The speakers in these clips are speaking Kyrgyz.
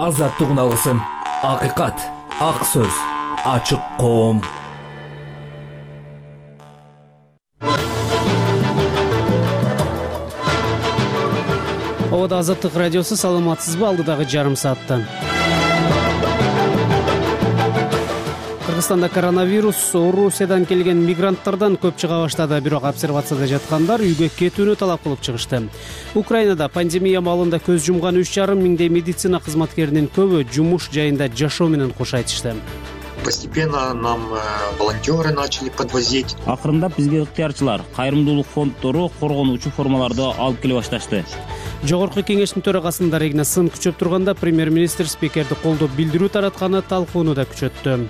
азаттыгын алгысың. Акыйкат, ак сөз, ачык коом. Обода Азаттык радиосу, саламатсызбы? Алдыдагы жарым саатта Кыргызстанда коронавирус Орусиядан келген мигранттардан көп чыга баштады, бирок обсервацияда жаткандар үйгө кетүүнү талап кылып чыгышты. Украинада пандемия маалында көз жумган 3,5 миңдей медицина кызматкеринин көбү жумуш жайында жашоо менен кош айтышты. Постепенно нам волонтеры начали подвозить. Акырындап бизге ыктыярчылар, кайрымдуулук фонддору коргонуучу формаларды алып келе башташты. Жогорку кеңештин төрагасында Регина сын күчөп турганда премьер-министр спикерди колдоп билдирүү таратканы талкууну да күчөттү.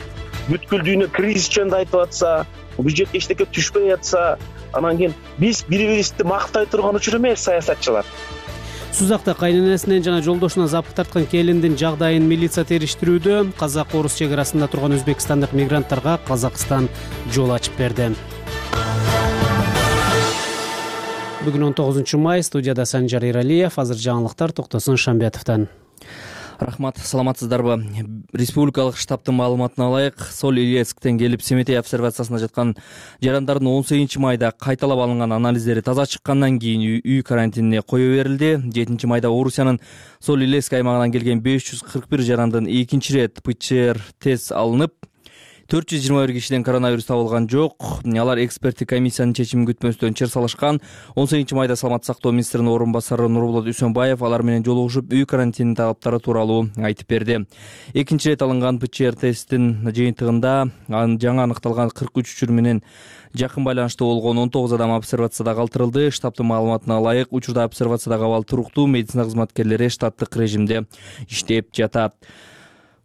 Бүткүл дүйнө кризис жөнүндө айтып атса, бюджетке эчтеке түшпөй атса, анан кийин биз бири-бирибизди мактай турган учур эмес саясатчылар. Сузакта кайненесинен жана жолдошуна запыт тарткан келиндин жагдайын милиция териштирүүдө. Казак-орус чек арасында турган өзбекстандык мигранттарга Казакстан жол ачып берди. Бүгүн 19 май, студияда Санжар Иралиев. Азыр жаңылыктар Токтосун Шамбетовдон. Рахмат, саламатсыздарбы? Республикалык штабтын маалыматына ылайык, Соль Илецктен келип Семетей обсервациясына жаткан жарандардын 18 майда кайталап алынган анализдери таза чыккандан кийин үй карантинине кое берилди. 7 майда Орусиянын Соль Илецк аймагынан келген 541 жарандын экинчи ирет ПЦР тест алынып, 421 кишиден коронавирус табылган жок. Алар эксперттик комиссиянын чечимин күтпөстөн чыр салышкан. 18 майда Саламаттык сактоо министринин орун басары Нурболот Үсөнбаев алар менен жолугушуп, үй карантининин талаптары тууралуу айтып берди. Экинчи ирет алынган ПЦР тесттин жыйынтыгында жаңы аныкталган 43 учур менен жакын байланыштуу болгон 19 адам обсервацияда калтырылды. Штабтын маалыматына ылайык, учурда обсервациядагы абал туруктуу, медицина кызматкерлери штаттык режимде иштеп жатат.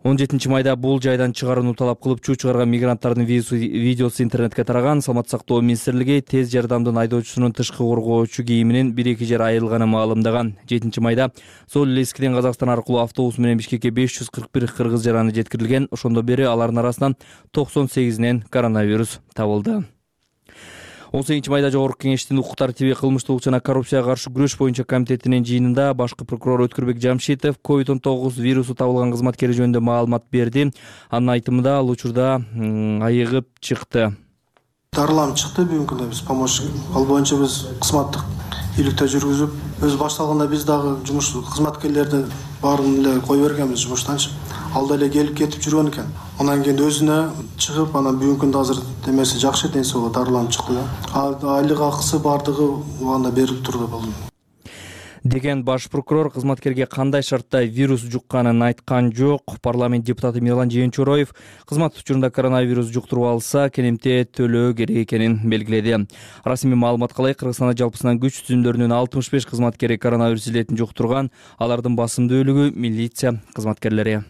17 майда бул жайдан чыгарууну талап кылып чуу чыгарган мигранттардын видеосу интернетке тараган. Саламаттык сактоо министрлиги тез жардамдын айдоочусунун тышкы коргоочу кийиминин 1-2 жер айылганын маалымдаган. 7 майда Соль Илецктен Казакстан аркылуу автобус менен Бишкекке 541 кыргыз жараны жеткирилген. Ошондон бери алардын арасынан 98-нен коронавирус табылды. 18 майда Жогорку кеңештин укук тартиби, кылмыштуулук жана коррупцияга каршы күрөш боюнча комитетинин жыйынында башкы прокурор Өткүрбек Жамшитов COVID-19 вирусу табылган кызматкери жөнүндө маалымат берди. Анын айтымында ал учурда айыгып чыкты. Дарыланып чыкты. Бүгүнкү күндө биз помощник, ал боюнча биз кызматтык иликтөө жүргүзүп, өз башталганда биз дагы жумуш кызматкерлерди баарын эле кое бергенбиз жумуштанчы. Ал деле келип кетип жүргөн экен. Анан кийин өзүнө чыгып, анан бүгүнкү күндө азыр демеси жакшы, ден соолугу дарыланып чыкты да. Айлык акысы бардыгы убагында берилип турду болду деген баш прокурор кызматкерге кандай шартта вирус жукканын айткан жок. Парламент депутаты Мирлан Жээнчороев кызмат учурунда коронавирус жуктуруп алса, кенемте төлөө керек экенин белгиледи. Расмий маалыматка ылайык, Кыргызстанда жалпысынан күч түзүмдөрүнүн 65 кызматкери коронавирус илетин жуктурган. Алардын басымдуу бөлүгү милиция кызматкерлери.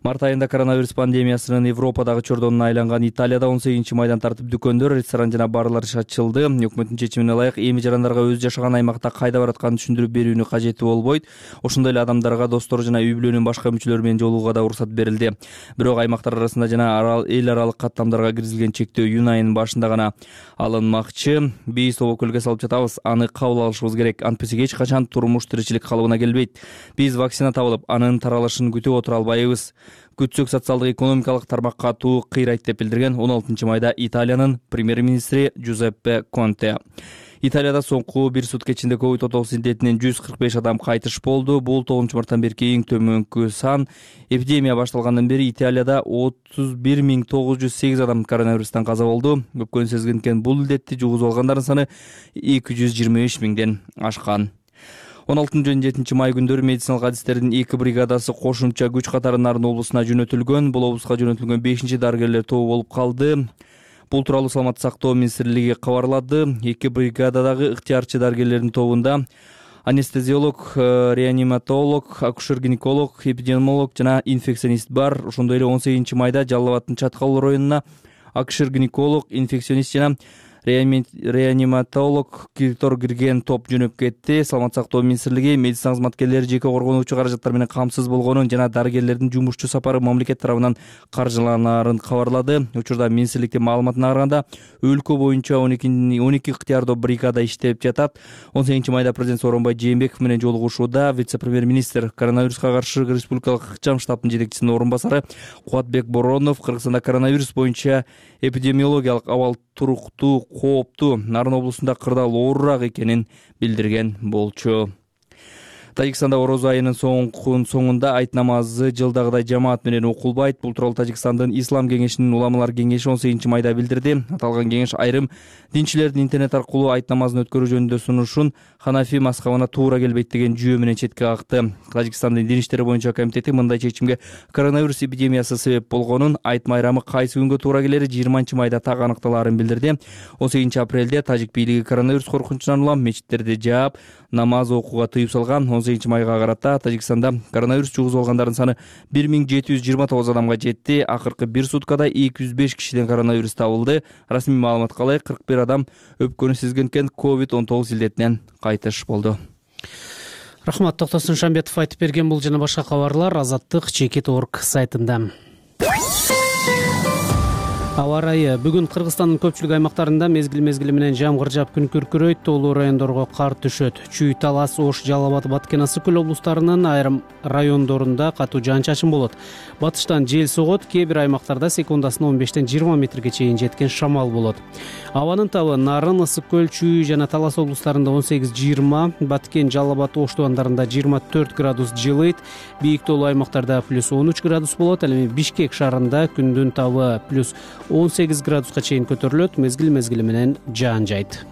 Март айында коронавирус пандемиясынын Европадагы чордонуна айланган Италияда 18 майдан тартып дүкөндөр, ресторан жана барлар ачылды. Өкмөттүн чечимине ылайык, эми жарандарга өз жашаган аймакта кайда баратканын түшүндүрүп берүүнү кажети болбойт. Ошондой эле адамдарга достору жана үй бүлөнүн башка мүчөлөрү менен жолугууга да уруксат берилди. Бирок аймактар арасында жана эл аралык каттамдарга киргизилген чектөө июнь айынын башында гана алынмакчы. Биз тобокөлгө салып жатабыз, аны кабыл алышыбыз керек. Антпесе эч качан турмуш тиричилик калыбына келбейт. Биз вакцина табылып, анын таралышын күтүп отура албайбыз. Күтсөк социалдык экономикалык тармакка туу кыйрайт деп билдирген 16 майда Италиянын премьер-министри Джузеппе Конте. Италияда соңку бир сутка ичинде COVID-19 индетинен 145 адам кайтыш болду. Бул 9 марттан берки эң төмөнкү сан. Эпидемия башталгандан бери Италияда 31908 адам коронавирустан каза болду. Көпкөнү сезгенкен бул илдетти жугузуп алгандардын саны 223 миңден ашкан. 16-17 май күндөрү медициналык адистердин 2 бригадасы кошумча күч катары Нарын облусуна жөнөтүлгөн. Бул облуска жөнөтүлгөн 5-чи дарыгерлер тобу болуп калды. Бул тууралуу Саламаттык сактоо министрлиги кабарлады. 2 бригададагы ыктыярчы дарыгерлердин тобунда анестезиолог, реаниматолог, акушер-гинеколог, эпидемиолог жана инфекционист бар. Ошондой эле 18 майда Жалал Абаддын Чаткал районуна акушер-гинеколог, инфекционист жана реаниматолог кирген топ жөнөп кетти. Саламаттык сактоо министрлиги медицина кызматкерлери жеке коргонуучу каражаттар менен камсыз болгонун жана дарыгерлердин жумушчу сапары мамлекет тарабынан каржыланаарын кабарлады. Учурда министрликтин маалыматына караганда өлкө боюнча 12 ыктыярдуу бригада иштеп жатат. 18 майда президент Сооронбай Жээнбеков менен жолугушууда вице-премьер-министр, коронавируска каршы республикалык ыкчам штабтын жетекчисинин орун басары Кубатбек Боронов Кыргызстанда коронавирус боюнча эпидемиологиялык абал туруктуу, кооптуу, Нарын облусунда кырдаал оорураак экенин билдирген болчу. Тажикстанда орозо айынын соңунда айт намазы жылдагыдай жамаат менен окулбайт. Бул тууралуу Тажикстандын Ислам кеңешинин уламалар кеңеши 18 майда билдирди. Аталган кеңеш айрым динчилердин интернет аркылуу айт намазын өткөрүү жөнүндө сунушун Ханафи мазхабына туура келбейт деген жүйө менен четке какты. Тажикстандын дин иштери боюнча комитети мындай чечимге коронавирус эпидемиясы себеп болгонун, айт майрамы кайсы күнгө туура келери 20 майда так аныкталаарын билдирди. 18 апрелде тажик бийлиги коронавирус коркунучунан улам мечиттерди жаап, намаз окууга тыюп салган. 18 майга карата Тажикстанда коронавирус жугузуп алгандардын саны 1779 адамга жетти. Акыркы бир суткада 205 кишиден коронавирус табылды. Расмий маалыматка ылайык 41 адам өпкөнү сезгенкен COVID-19 илдетинен кайтыш болду. Рахмат, Токтосун Шамбетов айтып берген бул жана башка кабарлар Азаттык.org сайтында. Аба ырайы бүгүн Кыргызстандын көпчүлүк аймактарында мезгил менен жамгыр жаап күн күркүрөйт, тоолуу райондорго кар түшөт. Чүй, Талас, Ош, Жалал Абад, Баткен, Ысык Көл облустарынын айрым райондорунда катуу жаан-чачын болот. Батыштан жел согот, кээ бир аймактарда секундасына 15-20 метрге чейин жеткен шамал болот. Абанын табы Нарын, Ысык Көл, Чүй жана Талас облустарында 18-20, Баткен, Жалал Абад, Ош тубандарында 24 градус жылыйт. Бийик тоолуу аймактарда +13 градус болот. Ал эми Бишкек шаарында күндүн табы +18 градуска чейин көтөрүлөт, мезгил менен жаан жайт.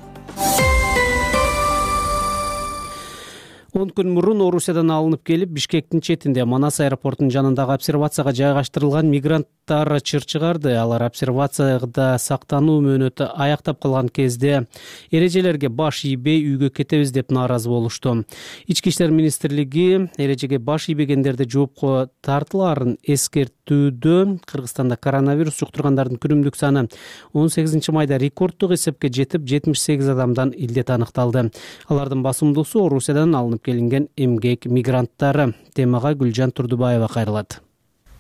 10 күн мурун Орусиядан алынып келип, Бишкектин четинде Манас аэропортунун жанындагы обсервацияга жайгаштырылган мигранттар чыр чыгарды. Алар обсервацияда сактануу мөөнөтү аяктап калган кезде эрежелерге баш ийбей үйгө кетебиз деп нааразы болушту. Ички иштер министрлиги эрежеге баш ийбегендерди жоопко тартылаарын эскертүүдө Кыргызстанда коронавирус жуктургандардын күнүмдүк саны 18 майда рекорддук эсепке жетип, 78 адамдан илдет аныкталды. Алардын басымдуусу Орусиядан алынып келинген эмгек мигранттары. Темага Гүлжан Турдубаева кайрылат.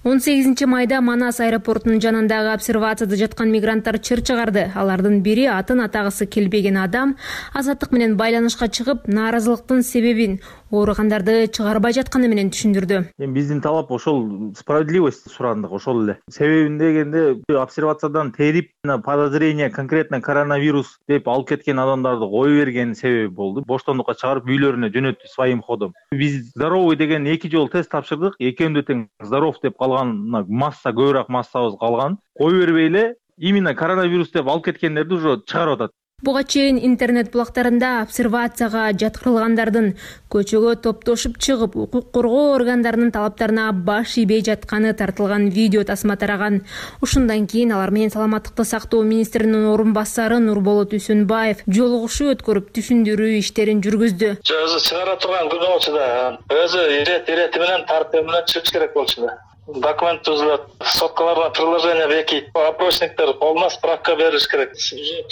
18 майда Манас аэропортунун жанындагы обсервацияда жаткан мигранттар чыр чыгарды. Алардын бири атын атагысы келбеген адам Азаттык менен байланышка чыгып, нааразылыктын себебин ооругандарды чыгарбай жатканы менен түшүндүрдү. Биздин талап ошол справедливость сурандык, ошол эле. Себебин дегенде обсервациядан терип, подозрение конкретно коронавирус деп алып кеткен адамдарды кое берген себеби болду. Боштондукка чыгарып үйлөрүнө жөнөттү своим ходом. Биз здоровый деген 2 жолу тест тапшырдык. Экөөндө тең здоров деп масса, көбүрөөк массабыз калган. Кой бербей эле именно коронавирус деп алып кеткендерди уже чыгарып атат. Буга чейин интернет булактарында обсервацияга жаткырылгандардын көчөгө топтошуп чыгып, укук коргоо органдарынын талаптарына баш ийбей жатканы тартылган видео тасма тараган. Ушундан кийин алар менен саламаттыкты сактоо министринин орун басары Нурболот Үсөнбаев жолугушуу өткөрүп түшүндүрүү иштерин жүргүздү. Өзү чыгара турган күн болчу да, өзү ирети менен тартып менен чыгыш керек болчу да. Документ түзүлөт, соткаларга приложение бекит, опросниктер полна справка бериш керек.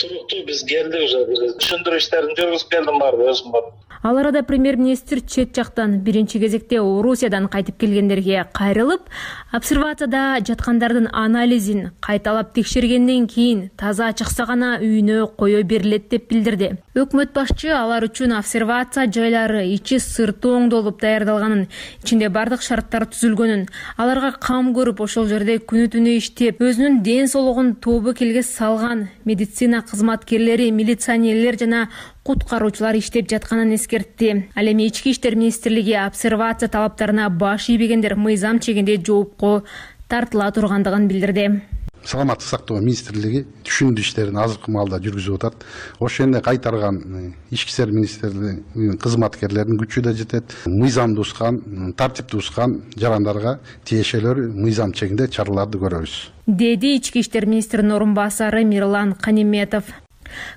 Туруктуу биз келди уже, түшүндүрүү иштерин жүргүзүп келдим баары өзүм бар. Ал арада премьер-министр чет жактан биринчи кезекте Орусиядан кайтып келгендерге кайрылып, обсервацияда жаткандардын анализин кайталап текшергенден кийин таза чыкса гана үйүнө кое берилет деп билдирди. Өкмөт башчы алар үчүн обсервация жайлары ичи сырты оңдолуп даярдалганын, ичинде бардык шарттар түзүлгөнүн, аларга кам көрүп ошол жерде күнү-түнү иштеп, өзүнүн ден соолугун тобу келге салган медицина кызматкерлери, милиционерлер жана куткаруучулар иштеп жатканын эскертти. Ал эми ички иштер министрлиги обсервация талаптарына баш ийбегендер мыйзам чегинде жоопко тартыла тургандыгын билдирди. Саламаттык сактоо министрлиги түшүндүрүү иштерин азыркы маалда жүргүзүп атат. Ошондой кайтарган ички иштер министрлигинин кызматкерлеринин күчү да жетет. Мыйзамды ускан, тартипти ускан жарандарга тиешелүү мыйзам чегинде чараларды көрөбүз, деди ички иштер министринин орун басары Мирлан Каниметов.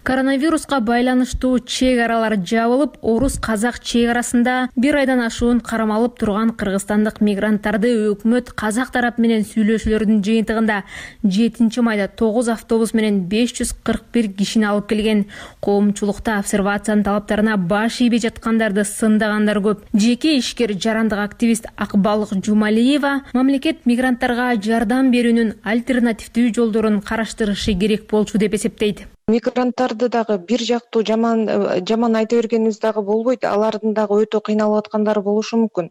Коронавируска байланыштуу чек аралар жабылып, орус-казак чек арасында 1 айдан ашуун кармалып турган кыргызстандык мигранттарды өкмөт казак тарап менен сүйлөшүүлөрдүн жыйынтыгында 7 майда 9 автобус менен 541 кишини алып келген. Коомчулукта обсервациянын талаптарына баш ийбей жаткандарды сындагандар көп. Жеке ишкер жарандык активист Акбалык Жумалиева мамлекет мигранттарга жардам берүүнүн альтернативдүү жолдорун караштырышы керек болчу деп эсептейт. Мигранттарды дагы бир жактуу жаман айта бергенибиз дагы болбойт. Алардын дагы өтө кыйналып аткандары болушу мүмкүн.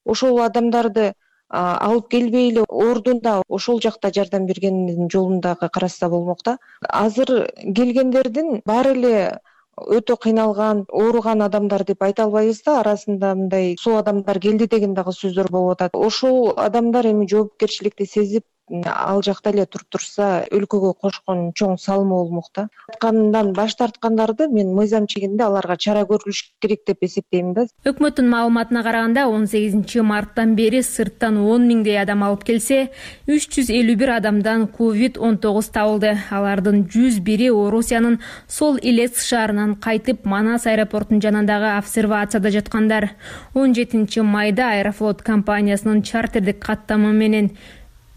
Ошол адамдарды алып келбей эле ордунда ошол жакта жардам бергендин жолун дагы карашса болмок да. Азыр келгендердин баары эле өтө кыйналган, ооруган адамдар деп айта албайбыз да. Арасында мындай соо адамдар келди деген дагы сөздөр болуп атат. Ошол адамдар эми жоопкерчиликти сезип ал жакта эле туруп турса, өлкөгө кошкон чоң салымы болмок да. Аткандан баш тарткандарды мен мыйзам чегинде аларга чара көрүлүш керек деп эсептейм да. Өкмөттүн маалыматына караганда 18 марттан бери сырттан 10 миңдей адам алып келсе, 351 адамдан COVID-19 табылды. Алардын 101-и Орусиянын Сол Илецк шаарынан кайтып, Манас аэропортунун жанындагы обсервацияда жаткандар. 17 майда Аэрофлот компаниясынын чартердик каттамы менен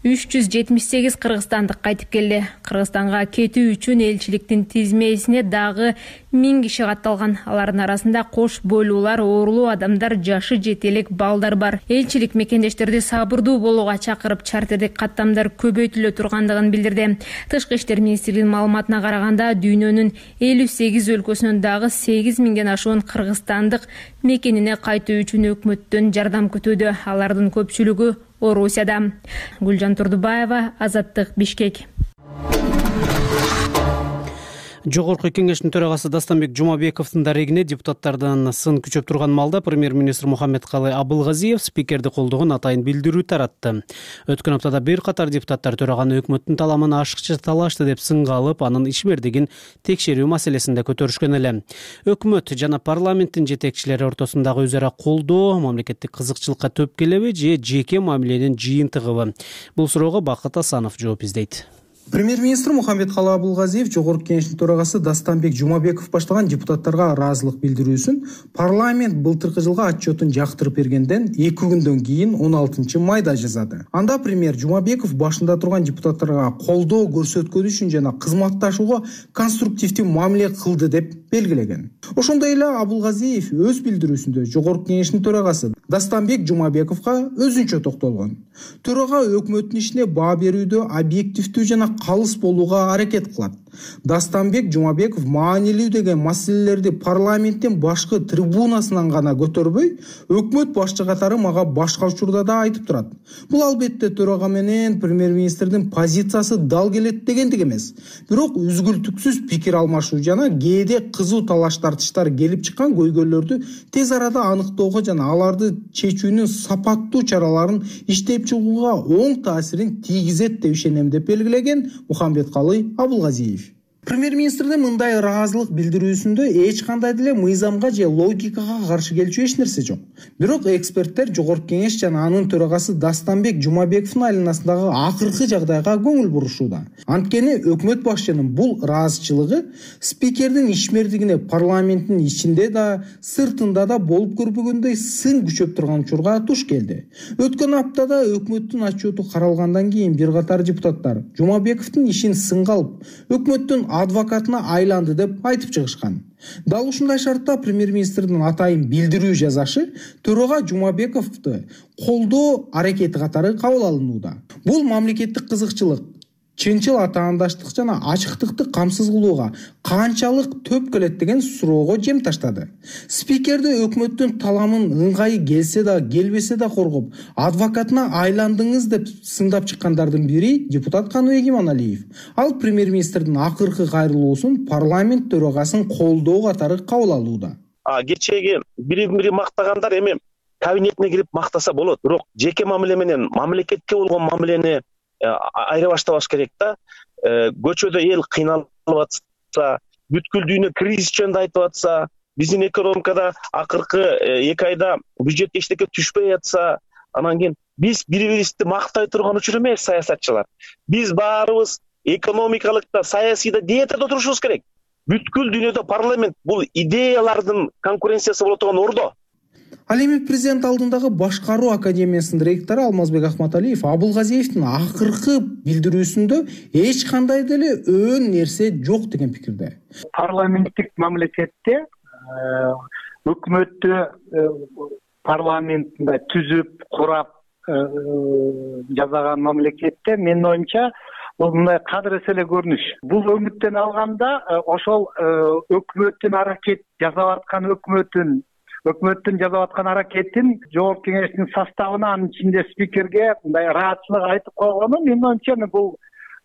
378 кыргызстандык кайтып келди. Кыргызстанга кетүү үчүн элчиликтин тизмесине дагы 1000 киши катталган. Алардын арасында кош бойлуулар, оорулуу адамдар, жашы жете элек балдар бар. Элчилик мекендештерди сабырдуу болууга чакырып, чартердик каттамдар көбөйтүлө тургандыгын билдирди. Тышкы иштер министрлигинин маалыматына караганда, дүйнөнүн 58 өлкөсүнөн дагы 8000ден ашуун кыргызстандык мекенине кайтуу үчүн өкмөттөн жардам күтүүдө. Алардын көпчүлүгү Орусияда. Гүлжан Турдубаева, Азаттык, Бишкек. Жогорку кеңештин төрагасы Дастанбек Жумабековдун дарегине депутаттардан сын күчөп турган маалда премьер-министр Мухаммедкалый Абылгазиев спикерди колдогон атайын билдирүү таратты. Өткөн аптада бир катар депутаттар төраганы өкмөттүн таламын ашыкча талашты деп сынга алып, анын ишмердигин текшерүү маселесинде көтөрүшкөн эле. Өкмөт жана парламенттин жетекчилери ортосундагы өзара колдоо мамлекеттик кызыкчылыкка төп келеби же жеке мамиленин жыйынтыгыбы? Бул суроого Бакыт Асанов жооп издейт. Премьер-министр Мухаммедкалый Абылгазиев жогорку кеңештин төрагасы Дастанбек Жумабеков баштаган депутаттарга ыраазылык билдирүүсүн парламент былтыркы жылга отчетун жактырып бергенден 2 күндөн кийин 16 майда жазады. Анда премьер Жумабеков башында турган депутаттарга колдоо көрсөткөн үчүн жана кызматташууга конструктивдүү мамиле кылды деп белгилеген. Ошондой эле Абылгазиев өз билдирүүсүндө жогорку кеңештин төрагасы Дастанбек Жумабековго өзүнчө токтолгон. Төрага өкмөттүн ишине баа берүүдө объективдүү жана калыс болууга аракет кылат. Дастанбек Жумабеков маанилүү деген маселелерди парламенттин башкы трибунасынан гана көтөрбөй, өкмөт башчы катары мага башка учурда да айтып турат. Бул албетте төрага менен премьер-министрдин позициясы дал келет дегендик эмес. Бирок үзгүлтүксүз пикир алмашуу жана кээде кызуу талаш тартыштар келип чыккан көйгөйлөрдү тез арада аныктоого жана аларды чечүүнүн сапаттуу чараларын иштеп чыгууга оң таасирин тийгизет деп ишенем деп белгилеген Мухаммедкалый Абылгазиев. Премьер-министрдин мындай ыраазылык билдирүүсүндө эч кандай деле мыйзамга же логикага каршы келчү эч нерсе жок. Бирок эксперттер жогорку кеңеш жана анын төрагасы Дастанбек Жумабековдун айланасындагы акыркы жагдайга көңүл бурушууда. Анткени өкмөт башчынын бул ыраазычылыгы спикердин ишмердигине парламенттин ичинде да, сыртында да болуп көрбөгөндөй сын күчөп турган учурга туш келди. Өткөн аптада өкмөттүн отчету каралгандан кийин бир катар депутаттар Жумабековдун ишин сынга алып, өкмөттүн адвокатына айланды деп айтып чыгышкан. Дал ушундай шартта премьер-министрдин атайын билдирүү жазашы төрага Жумабековду колдоо аракети катары кабыл алынууда. Бул мамлекеттик кызыкчылык, чынчыл атаандаштык жана ачыктыкты камсыз кылууга канчалык төп келет деген суроого жем таштады. Спикерди өкмөттүн таламын ыңгайы келсе да, келбесе да коргоп, адвокатына айландыңыз деп сындап чыккандардын бири депутат Каныбек Иманалиев. Ал премьер-министрдин акыркы кайрылуусун парламент төрагасын колдоо катары кабыл алууда. Кечеги бири мактагандар эми кабинетине кирип мактаса болот, бирок жеке мамиле менен мамлекетке болгон мамилени айыра баштабаш керек да. Көчөдө эл кыйналып атса, бүткүл дүйнө кризис жөнүндө айтып атса, биздин экономикада акыркы 2 айда бюджет эчтеке түшпөй атса, анан кийин биз бири-бирибизди мактай турган учур эмес саясатчылар. Биз баарыбыз экономикалык да, саясий да диетада турушубуз керек. бүткүл дүйнөдө парламент бул идеялардын конкуренциясы боло турган ордо. Ал эми президент алдындагы башкаруу академиясынын ректору Алмазбек Ахматалиев Абулгазиевдин акыркы билдирүүсүндө эч кандай деле өөн нерсе жок деген пикирде. Парламенттик мамлекетте өкмөттү парламентинде түзүп, курап жасаган мамлекетте менин оюмча бул мындай кадырес эле көрүнүш. Бул өңүттөн алганда ошол өкмөттүн аракет жасап аткан өкмөттүн жасап аткан аракетин Жогорку Кеңештин составына, анын ичинде спикерге мындай ыраатчылык айтып койгону менин оюмча бул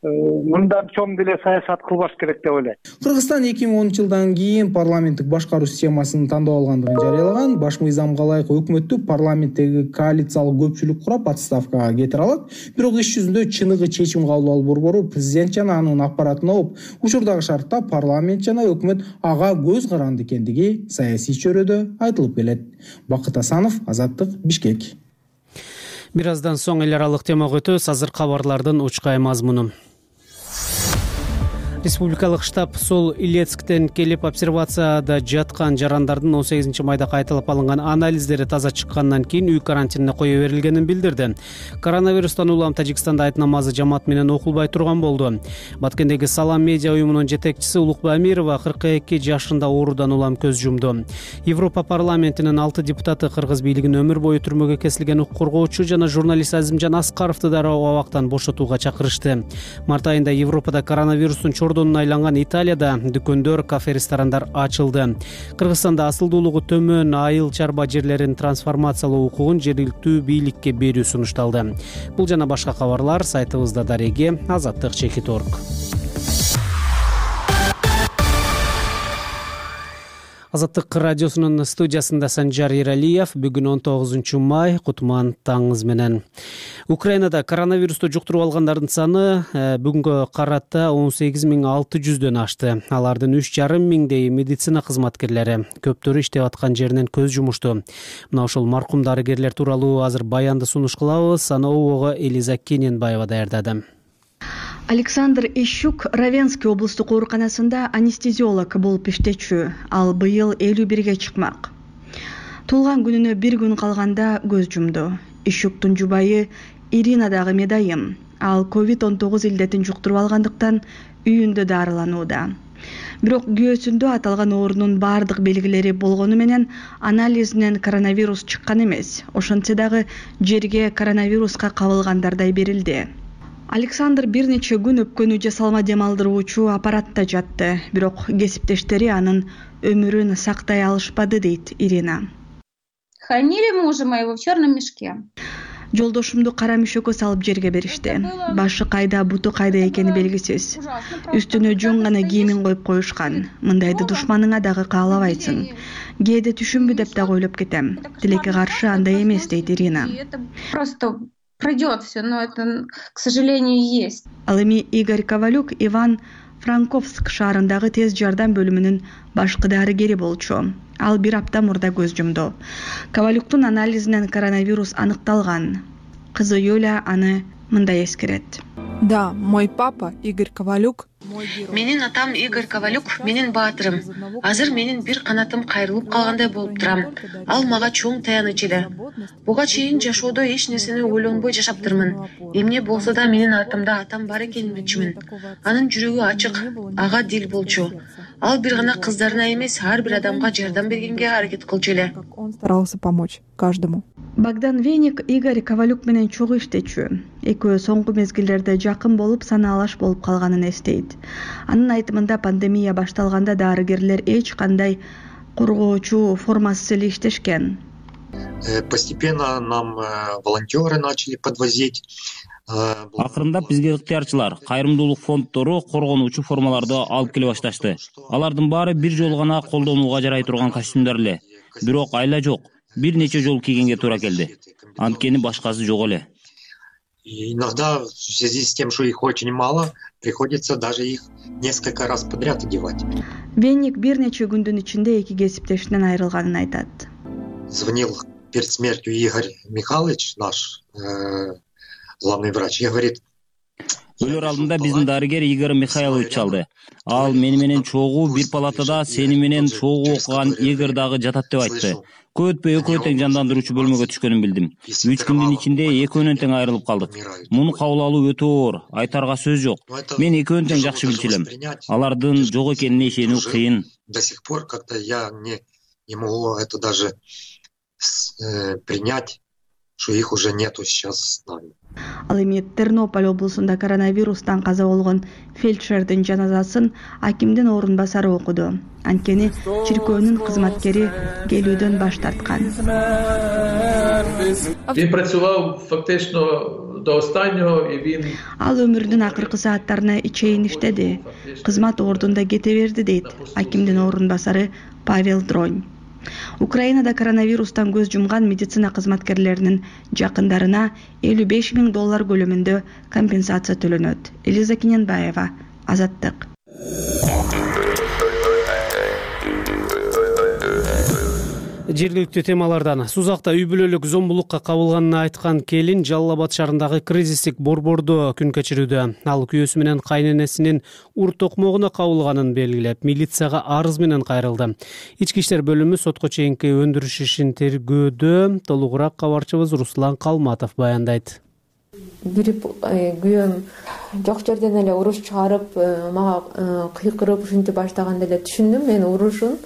мындан чоң деле саясат кылбаш керек деп ойлойм. Кыргызстан 2010-жылдан кийин парламенттик башкаруу системасын тандап алгандыгын жарыялаган. Баш мыйзамга ылайык өкмөттү парламенттеги коалициялык көпчүлүк курап отставкага кетире алат. Бирок иш жүзүндө чыныгы чечим кабыл алуу борбору президент жана анын аппаратын ооп, учурдагы шартта парламент жана өкмөт ага көз каранды экендиги саясий чөйрөдө айтылып келет. Бакыт Асанов, Азаттык, Бишкек. Бир аздан соң эл аралык темага өтөбүз. Азыр кабарлардын учкай мазмуну. Республикалык штаб Сол Илецктен келип обсервацияда жаткан жарандардын 18-майда кайталап алынган анализдери таза чыккандан кийин үй карантинине кое берилгенин билдирди. Коронавирустан улам Тажикстанда айт намазы жамаат менен окулбай турган болду. Баткендеги Салам медиа уюмунун жетекчиси Улукбай Амирова 42 жашында оорудан улам көз жумду. Европа парламентинин 6 депутаты кыргыз бийлигин өмүр бою түрмөгө кесилген укук коргоочу жана журналист Азимжан Аскаровду дароо абактан бошотууга чакырышты. Март айында Европада коронавирустун чордонуна айланган Италияда дүкөндөр, кафе, ресторандар ачылды. Кыргызстанда асылдуулугу төмөн айыл чарба жерлерин трансформациялоо укугун жергиликтүү бийликке берүү сунушталды. Бул жана башка кабарлар сайтыбызда дареги azаттык.org. Азаттык радиосунун студиясында Санжар Ералиев. Бүгүн 19 май, кутман таңыңыз менен. Украинада коронавирусту жуктуруп алгандардын саны бүгүнгө карата 18.600дөн ашты. Алардын 3,5 миңдей медицина кызматкерлери. Көптөрү иштеп аткан жеринен көз жумушту. Мына ошол маркум дарыгерлер тууралуу азыр баянды сунуш кылабыз. Аны обого Элиза Кененбаева даярдады. Александр Ищук Равенский облустук ооруканасында анестезиолог болуп иштечү. Ал быйыл 51-ге чыкмак. Туулган күнүнө 1 күн калганда көз жумду. Ищуктун жубайы Ирина дагы медайым. Ал COVID-19 илдетин жуктуруп алгандыктан үйүндө дарыланууда. Бирок күйөөсүндө аталган оорунун бардык белгилери болгону менен анализинен коронавирус чыккан эмес. Ошентсе дагы жерге коронавируска кабылгандардай берилди. Александр бир нече күн өпкөнү жасалма дем алдыруучу аппаратта жатты, бирок кесиптештери анын өмүрүн сактай алышпады, дейт Ирина. Хранили мужа моего в черном мешке. Жолдошумду кара мешөккө салып жерге беришти. Башы кайда, буту кайда экени белгисиз. Үстүнө жөн гана кийимин коюп коюшкан. Мындайды душманыңа дагы каалабайсың. Кээде түшүнбү деп дагы ойлоп кетем. Тилекке каршы андай эмес, дейт Ирина. Просто пройдет все, но это, к сожалению, есть. Ал эми Игорь Ковалюк Иван Франковск шаарындагы тез жардам бөлүмүнүн башкы дарыгери болчу. Ал 1 апта мурда көз жумду. Ковалюктун анализинен коронавирус аныкталган. Кызы Юля аны мындай эскерет. Да, мой папа Игорь Ковалюк. Менин атам Игорь Ковалюк, менин баатырым. Азыр менин бир канатым кайрылып калгандай болуп турам. Ал мага чоң таяныч эле. Буга чейин жашоодо эч нерсени ойлонбой жашаптырмын. Эмне болсо да менин артымда атам бар экенин билчүмүн. Анын жүрөгү ачык, ага дил болчу. Ал бир гана кыздарына эмес, ар бир адамга жардам бергенге аракет кылчу эле. Он старался помочь каждому. Богдан Веник Игорь Ковалюк менен чогуу иштечү. Экөө соңку мезгилдерде жакын болуп, санаалаш болуп калганын эстейт. Анын айтымында пандемия башталганда дарыгерлер эч кандай коргоочу формасыз эле иштешкен. Постепенно нам волонтеры начали подвозить. Акырындап бизге ыктыярчылар, кайрымдуулук фонддору коргонуучу формаларды алып келе башташты. Алардын баары бир жолу гана колдонууга жарай турган костюмдар эле. Бирок айла жок, бир нече жол кийгенге туура келди. Анткени башкасы жок эле. Иногда в связи с тем, что их очень мало, приходится даже их несколько раз подряд одевать. Венник бир нече күндүн ичинде 2 кесиптешинен айрылганын айтат. Звонил перед смертью Игорь Михайлович, наш главный врач, и говорит: Өлөр алдында биздин дарыгер Игорь Михайлович алды. Ал мени менен чогуу бир палатада сени менен чогуу окуган Игорь дагы жатат деп айтты. Көп өтпөй экөө тең жандандыруучу бөлмөгө түшкөнүн билдим. 3 күндүн ичинде экөөнөн тең айрылып калдык. Муну кабыл алуу өтө оор, айтарга сөз жок. Мен экөөнүн тең жакшы билчү элем. Алардын жок экенине ишенүү кыйын. До сих пор как-то я не могу это даже принять, что их уже нету сейчас с нами. Ал эми Тернополь облусунда коронавирустан каза болгон фельдшердин жаназасын акимдин орун басары окуду. Анткени чиркөөнүн кызматкери келүүдөн баш тарткан. Він працював фактично до останнього і він Ал өмүрүнүн акыркы сааттарына чейин иштеди. Кызмат ордунда кете берди дейт акимдин орун басары Павел Дронь. Украинада коронавирустан көз жумган медицина кызматкерлеринин жакындарына $55,000 көлөмүндө компенсация төлөнөт. Элиза Кененбаева, Азаттык. Жергиликтүү темалардан Сузакта үй бүлөлүк зомбулукка кабылганын айткан келин Жалал Абад шаарындагы кризистик борбордо күн кечирүүдө. Ал күйөөсү менен кайненесинин ур токмогуна кабылганын белгилеп, милицияга арыз менен кайрылды. Ички иштер бөлүмү сотко чейинки өндүрүш ишин тергөөдө. Толугураак кабарчыбыз Руслан Калматов баяндайт. Бирип күйөөм жок жерден эле уруш чыгарып, мага кыйкырып ушинтип баштаганда эле түшүндүм мен урушун.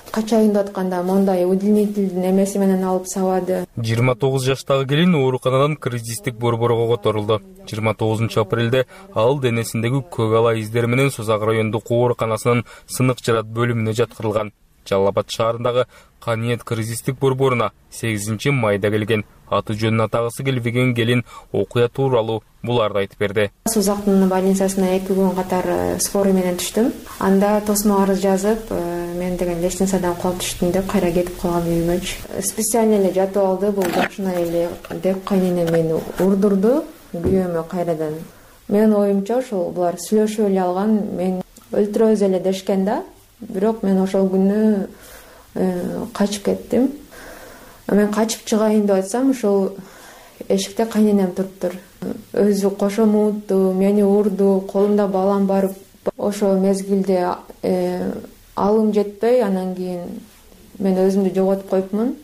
Качайын деп атканда мондай удилнительдин эмеси менен алып сабады. 29 жаштагы келин ооруканадан кризистик борборго которулду. 29 апрелде ал денесиндеги көк ала издери менен Сузак райондук ооруканасынын сынык жарат бөлүмүнө жаткырылган. Жалал Абад шаарындагы Каниет кризистик борборуна 8 майда келген. Аты жөнүн атагысы келбеген келин окуя тууралуу буларды айтып берди. Сузактын больницасына 2 күн катар скорый менен түштүм. Анда тосмо арыз жазып, мен деген лестницадан кулап түштүм деп кайра кетип калган үйүмөчү. Специально эле жатып алды, бул жакшына эле деп кайненем мени урдурду күйөөмө кайрадан. Менин оюмча ошол булар сүйлөшүп эле алган, мен өлтүрөбүз эле дешкен да. Бирок мен ошол күнү качып кеттим. Мен качып чыгайын деп атсам, ошол эшикте кайненем туруптур. Өзү кошо муутtu, мени урду, колумда балам бар. Ошол мезгилде алым жетпей, анан кийин мен өзүмдү жоготуп коюпмун.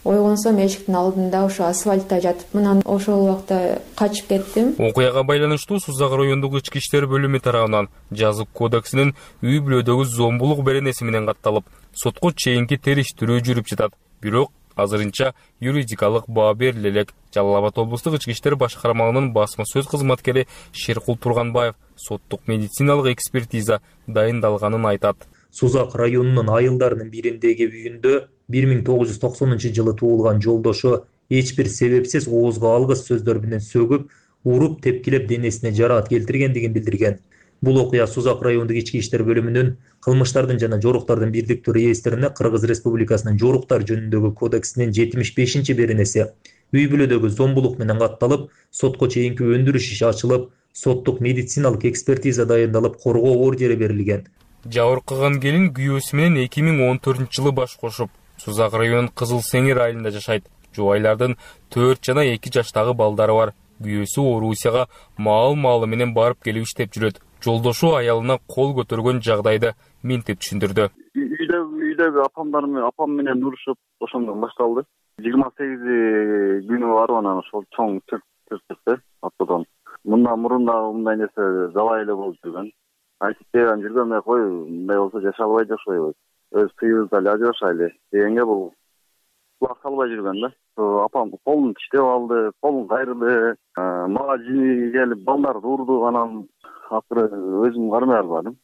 Ойгонсом эшиктин алдында ошо асфальтта жатыпмын. Ошол убакта качып кеттим. Окуяга байланыштуу Сузак райондук ички иштер бөлүмү тарабынан жазык кодексинин үй бүлөдөгү зомбулук беренеси менен катталып, сотко чейинки териштирүү жүрүп жатат. Бирок азырынча юридикалык баа бериле элек. Жалал Абад облустук ички иштер башкармалыгынын басма сөз кызматкери Шеркул Турганбаев соттук медициналык экспертиза дайындалганын айтат. Сузак районунун айылдарынын бириндеги үйүндө 1990 жылы туулган жолдошу эч бир себепсиз оозго алгыс сөздөр менен сөгүп, уруп тепкилеп денесине жараат келтиргендигин билдирген. Бул окуя Сузак райондук ички иштер бөлүмүнүн кылмыштардын жана жоруктардын бирдиктүү реестрине Кыргыз Республикасынын жоруктар жөнүндөгү кодексинин 75 беренеси үй бүлөдөгү зомбулук менен катталып, сотко чейинки өндүрүш иши ачылып, соттук медициналык экспертиза дайындалып, коргоо ордери берилген. Жабыркаган келин күйөөсү менен 2014 жылы баш кошуп, Сузак районунун Кызыл Сеңир айылында жашайт. Жубайлардын 4 жана 2 жаштагы балдары бар. Күйөөсү Орусияга маал-маалы менен барып келип иштеп жүрөт. Жолдошу аялына кол көтөргөн жагдайды мынтип түшүндүрдү. Үйдөгү апам менен урушуп, ошондон башталды. 28 күнү барып анан ошол чоң түрттү автодон. Мындан мурун да мындай нерсе жалай эле болуп жүргөн. Айтып берген жүргөн кой, мындай болсо жаша албай жашайбыз. Өз тыйыбызда эле ажырашайлы дегенге бул кулак салбай жүргөн да. Апам колун тиштеп алды, колун кайрылды. Мага жини келип балдарды урду, анан акыры өзүм кармай албадым.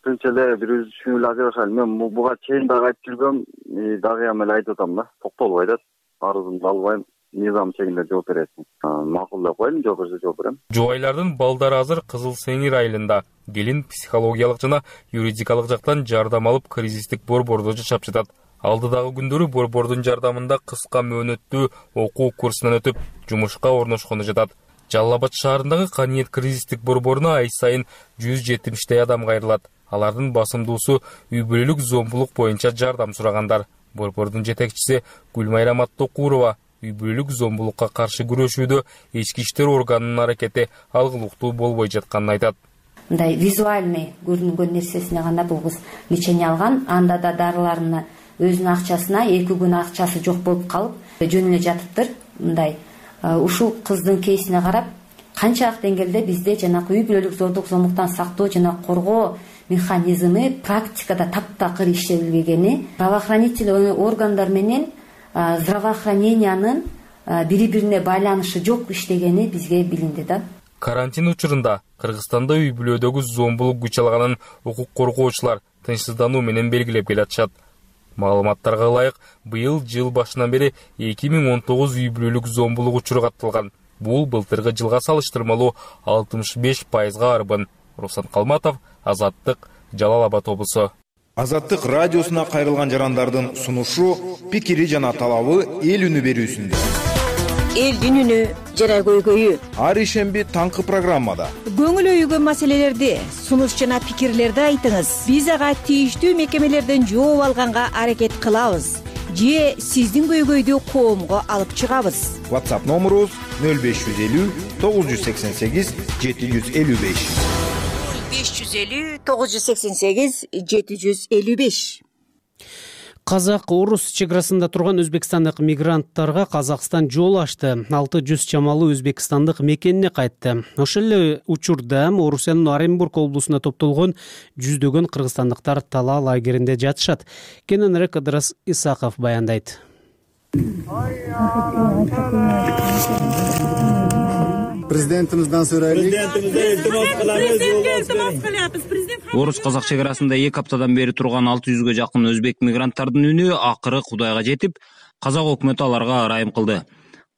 Тынч эле бир үчүн эле ажырашайлы. Мен буга чейин дагы айтып жүргөм, дагы эле айтып атам да. Токтолбой да. Арызымды албайм. Низам чегинде жооп бересиң. Макул деп коем, жооп берсе жооп берем. Жубайлардын балдары азыр Кызыл Сеңир айылында. Келин психологиялык жана юридикалык жактан жардам алып, кризистик борбордо жашап жатат. Алдыдагы күндөрү борбордун жардамында кыска мөөнөттүү окуу курсунан өтүп, жумушка орношкону жатат. Жалал Абад шаарындагы Каниет кризистик борборуна ай сайын 170 адам кайрылат. Алардын басымдуусу үй бүлөлүк зомбулук боюнча жардам сурагандар. Борбордун жетекчиси Гүлмайра Маттокурова үй бүлөлүк зомбулукка каршы күрөшүүдө ички иштер органынын аракети алгылыктуу болбой жатканын айтат. Мындай визуальный көрүнгөн нерсесине гана бул кыз лечение алган, анда да дарыларына өзүнүн акчасына 2 күн акчасы жок болуп калып жөн эле жатыптыр. Мындай ушул кыздын кейсине карап канчалык деңгээлде бизде жанагы үй бүлөлүк зордук зомбулуктан сактоо жана коргоо механизми практикада таптакыр иштелбегени, правоохранительный органдар менен здравоохранениянын бири-бирине байланышы жок иштегени бизге билинди да. Карантин учурунда Кыргызстанда үй бүлөдөгү зомбулук күч алганын укук коргоочулар тынчсыздануу менен белгилеп келатышат. Маалыматтарга ылайык, быйыл жыл башынан бери 2019 үй бүлөлүк зомбулук учуру катталган. Бул былтыркы жылга салыштырмалуу 65%га арбын. Руслан Калматов, Азаттык, Жалал Абад облусу. Азаттык радиосуна кайрылган жарандардын сунушу, пикири жана талабы эл үнү берүүсүндө. Элдин үнү жана көйгөйү. Ар ишемби таңкы программада. Көңүл өйгөн маселелерди, сунуш жана пикирлерди айтыңыз. Биз ага тийиштүү мекемелерден жооп алганга аракет кылабыз. Же сиздин көйгөйдү коомго алып чыгабыз. WhatsApp номерубуз 0550 988 755. 550 988 755. Казак-орус чекарасында турган өзбекстандык мигранттарга Казакстан жол ачты. 600 чамалуу өзбекстандык мекенине кайтты. Ошол эле учурда Орусиянын Оренбург облусуна топтолгон жүздөгөн кыргызстандыктар Тала лагеринде жатышат. Кененирээк Ыдырыс Исаков баяндайт. Президентимизден сурайлык. Орус-казак чекарасында 2 аптадан бери турган 600гө жакын өзбек мигранттардын үнү акыры Кудайга жетип, Казак өкмөтү аларга ырайым кылды.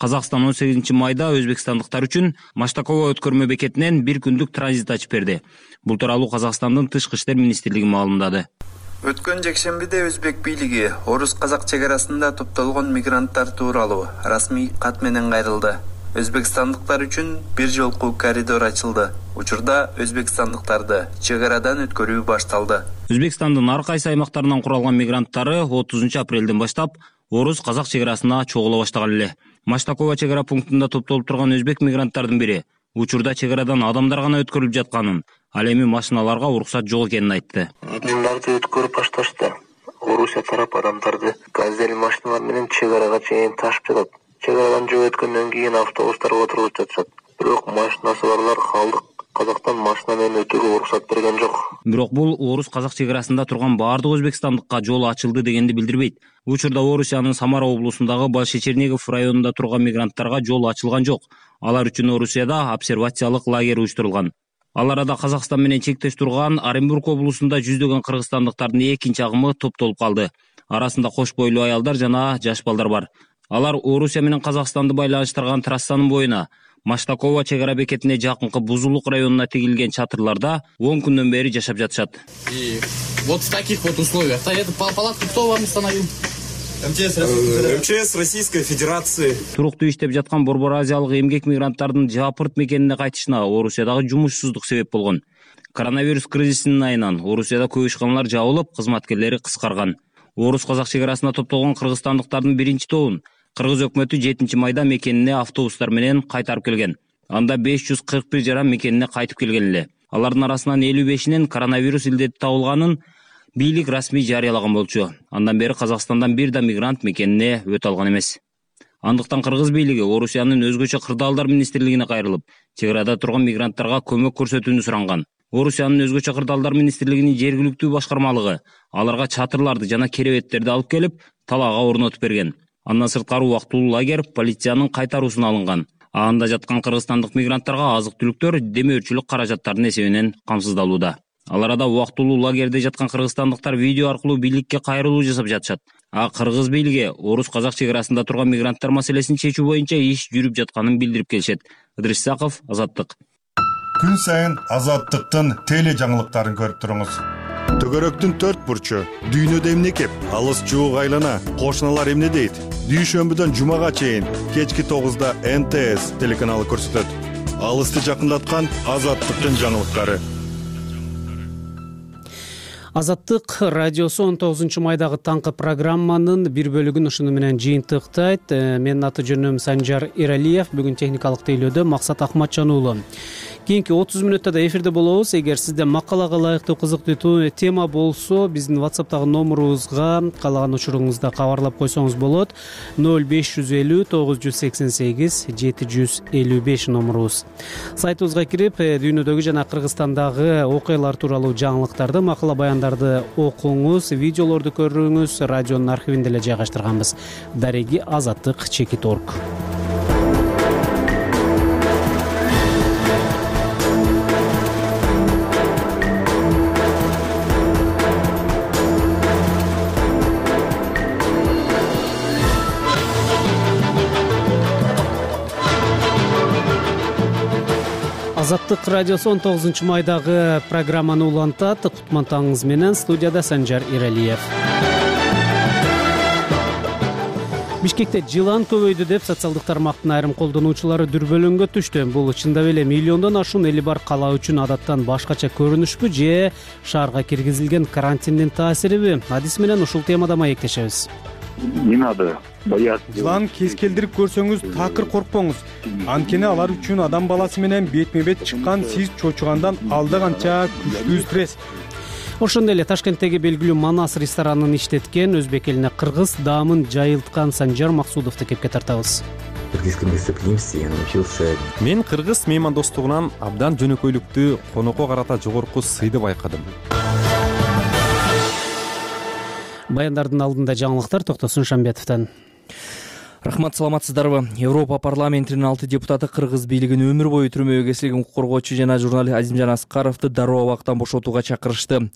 Казакстан 18 майда өзбекстандыктар үчүн Маштакова өткөрмө бекетинен 1 күндүк транзит ачып берди. Бул тууралуу Казакстандын Тышкы иштер министрлиги маалымдады. Өткөн жекшембиде өзбек бийлиги Орус-казак чекарасында топтолгон мигранттар тууралуу расмий кат менен кайрылды. Өзбекстандыктар үчүн бир жолку коридор ачылды. Учурда өзбекстандыктарды чегарадан өткөрүү башталды. Өзбекстандын ар кайсы аймактарынан куралган мигранттары 30 апрелден баштап Орус-казак чегарасына чогула баштаган эле. Маштакова чегара пунктунда топтолуп турган өзбек мигранттардын бири учурда чегарадан адамдар гана өткөрүлүп жатканын, ал эми машиналарга уруксат жок экенин айтты. Адамдарды өткөрүп башташты. Орусия тарап адамдарды газель машиналар менен чегарага чейин ташып жатат. Чегарадан жөө өткөндөн кийин автобустарга отурулуп жатышат. Бирок машинасы барлар калдык. Казактан машина менен өтүүгө уруксат берген жок. Бирок бул Орус-казак чегарасында турган баардык өзбекстандыкка жол ачылды дегенди билдирбейт. Учурда Орусиянын Самара облусундагы Большечернигов районунда турган мигранттарга жол ачылган жок. Алар үчүн Орусияда обсервациялык лагерь уюштурулган. Ал арада Казакстан менен чектеш турган Оренбург облусунда жүздөгөн кыргызстандыктардын экинчи агымы топтолуп калды. Арасында кош бойлуу аялдар жана жаш балдар бар. Алар Орусия менен Казакстанды байланыштырган трассанын боюна Маштакова чегара бекетине жакынкы Бузулук районуна тигилген чатырларда 10 күндөн бери жашап жатышат. И вот в таких вот условиях. Эту палатку кто вам установил? МЧС Российской Федерации. Туруктуу иштеп жаткан Борбор Азиялык эмгек мигранттардын Жапырт мекенине кайтышына Орусиядагы жумушсуздук себеп болгон. Коронавирус кризисинин айынан Орусияда көп ишканалар жабылып, кызматкерлери кыскарган. Орус-казак чегарасына топтолгон кыргызстандыктардын биринчи тобун Кыргыз өкмөтү 7 майда мекенине автобустар менен кайтарып келген. Анда 541 жаран мекенине кайтып келген эле. Алардын арасынан 55-инин коронавирус илдети табылганын бийлик расмий жарыялаган болчу. Андан бери Казакстандан бир да мигрант мекенине өтө алган эмес. Андыктан кыргыз бийлиги Орусиянын өзгөчө кырдаалдар министрлигине кайрылып, чегарада турган мигранттарга көмөк көрсөтүүнү суранган. Орусиянын өзгөчө кырдаалдар министрлигинин жергиликтүү башкармалыгы аларга чатырларды жана керебеттерди алып келип, талаага орнотуп берген. Андан сырткары убактылуу лагерь полициянын кайтаруусуна алынган. Анда жаткан кыргызстандык мигранттарга азык-түлүктөр демөөрчүлүк каражаттарынын эсебинен камсыздалууда. Ал арада убактылуу лагерде жаткан кыргызстандыктар видео аркылуу бийликке кайрылуу жасап жатышат. Кыргыз бийлиги Орус-казак чегарасында турган мигранттар маселесин чечүү боюнча иш жүрүп жатканын билдирип келишет. Ыдырыс Исаков, Азаттык. Күн сайын Азаттыктын теле жаңылыктарын көрүп туруңуз. Төгөрөктүн 4 бурчу, дүйнөдө эмне кеп, алыс жуук айлана, кошуналар эмне дейт? Дүйшөмбүдөн жумага чейин кечки 9-да НТС телеканалы көрсөтөт. Алысты жакындаткан Азаттыктын жаңылыктары. Азаттык радиосу 19 майдагы таңкы программанын бир бөлүгүн ушуну менен жыйынтыктайт. Менин аты жөнүм Санжар Иралиев. Бүгүн техникалык тейлөөдө Максат Акматжан уулу. Кийинки 30 мүнөттө да эфирде болобуз. Эгер сизде макалага ылайыктуу кызыктуу тема болсо, биздин WhatsApp'тагы номерубузга каалаган учуруңузда кабарлап койсоңуз болот. 0550 988 755 номерубуз. Сайтыбызга кирип, дүйнөдөгү жана Кыргызстандагы окуялар тууралуу жаңылыктарды, макала баяндарды окуңуз, видеолорду көрүңүз. Радионун архивинде эле жайгаштырганбыз. Дареги Азаттык.org. Азаттык радиосу 19 майдагы программаны улантат. Кутман таңыңыз менен, студияда Санжар Иралиев. Бишкекте жылан көбөйдү деп социалдык тармактын айрым колдонуучулары дүрбөлөңгө түштү. Бул чындап эле миллиондон ашуун эли бар кала үчүн адаттан башкача көрүнүшпү же шаарга киргизилген карантиндин таасириби? Адис менен ушул темада маектешебиз. Не надо бояться. Жылан кез келдирип көрсөңүз такыр коркпоңуз. Анткени алар үчүн адам баласы менен бетме бет чыккан сиз чочугандан алда канча күчтүү стресс. Ошондой эле Ташкенттеги белгилүү Манас ресторанын иштеткен, өзбек элине кыргыз даамын жайылткан Санжар Максудовду кепке тартабыз. Мен кыргыз меймандостугунан абдан жөнөкөйлүктү, конокко карата жогорку сыйды байкадым. Баяндардын алдында жаңылыктар Токтосун Шамбетовдон. Рахмат, саламатсыздарбы? Европа парламентинин 6 депутаты кыргыз бийлигин өмүр бою түрмөгө кесилген укук коргоочу жана журналист Азимжан Аскаровду дароо убактан бошотууга чакырышты.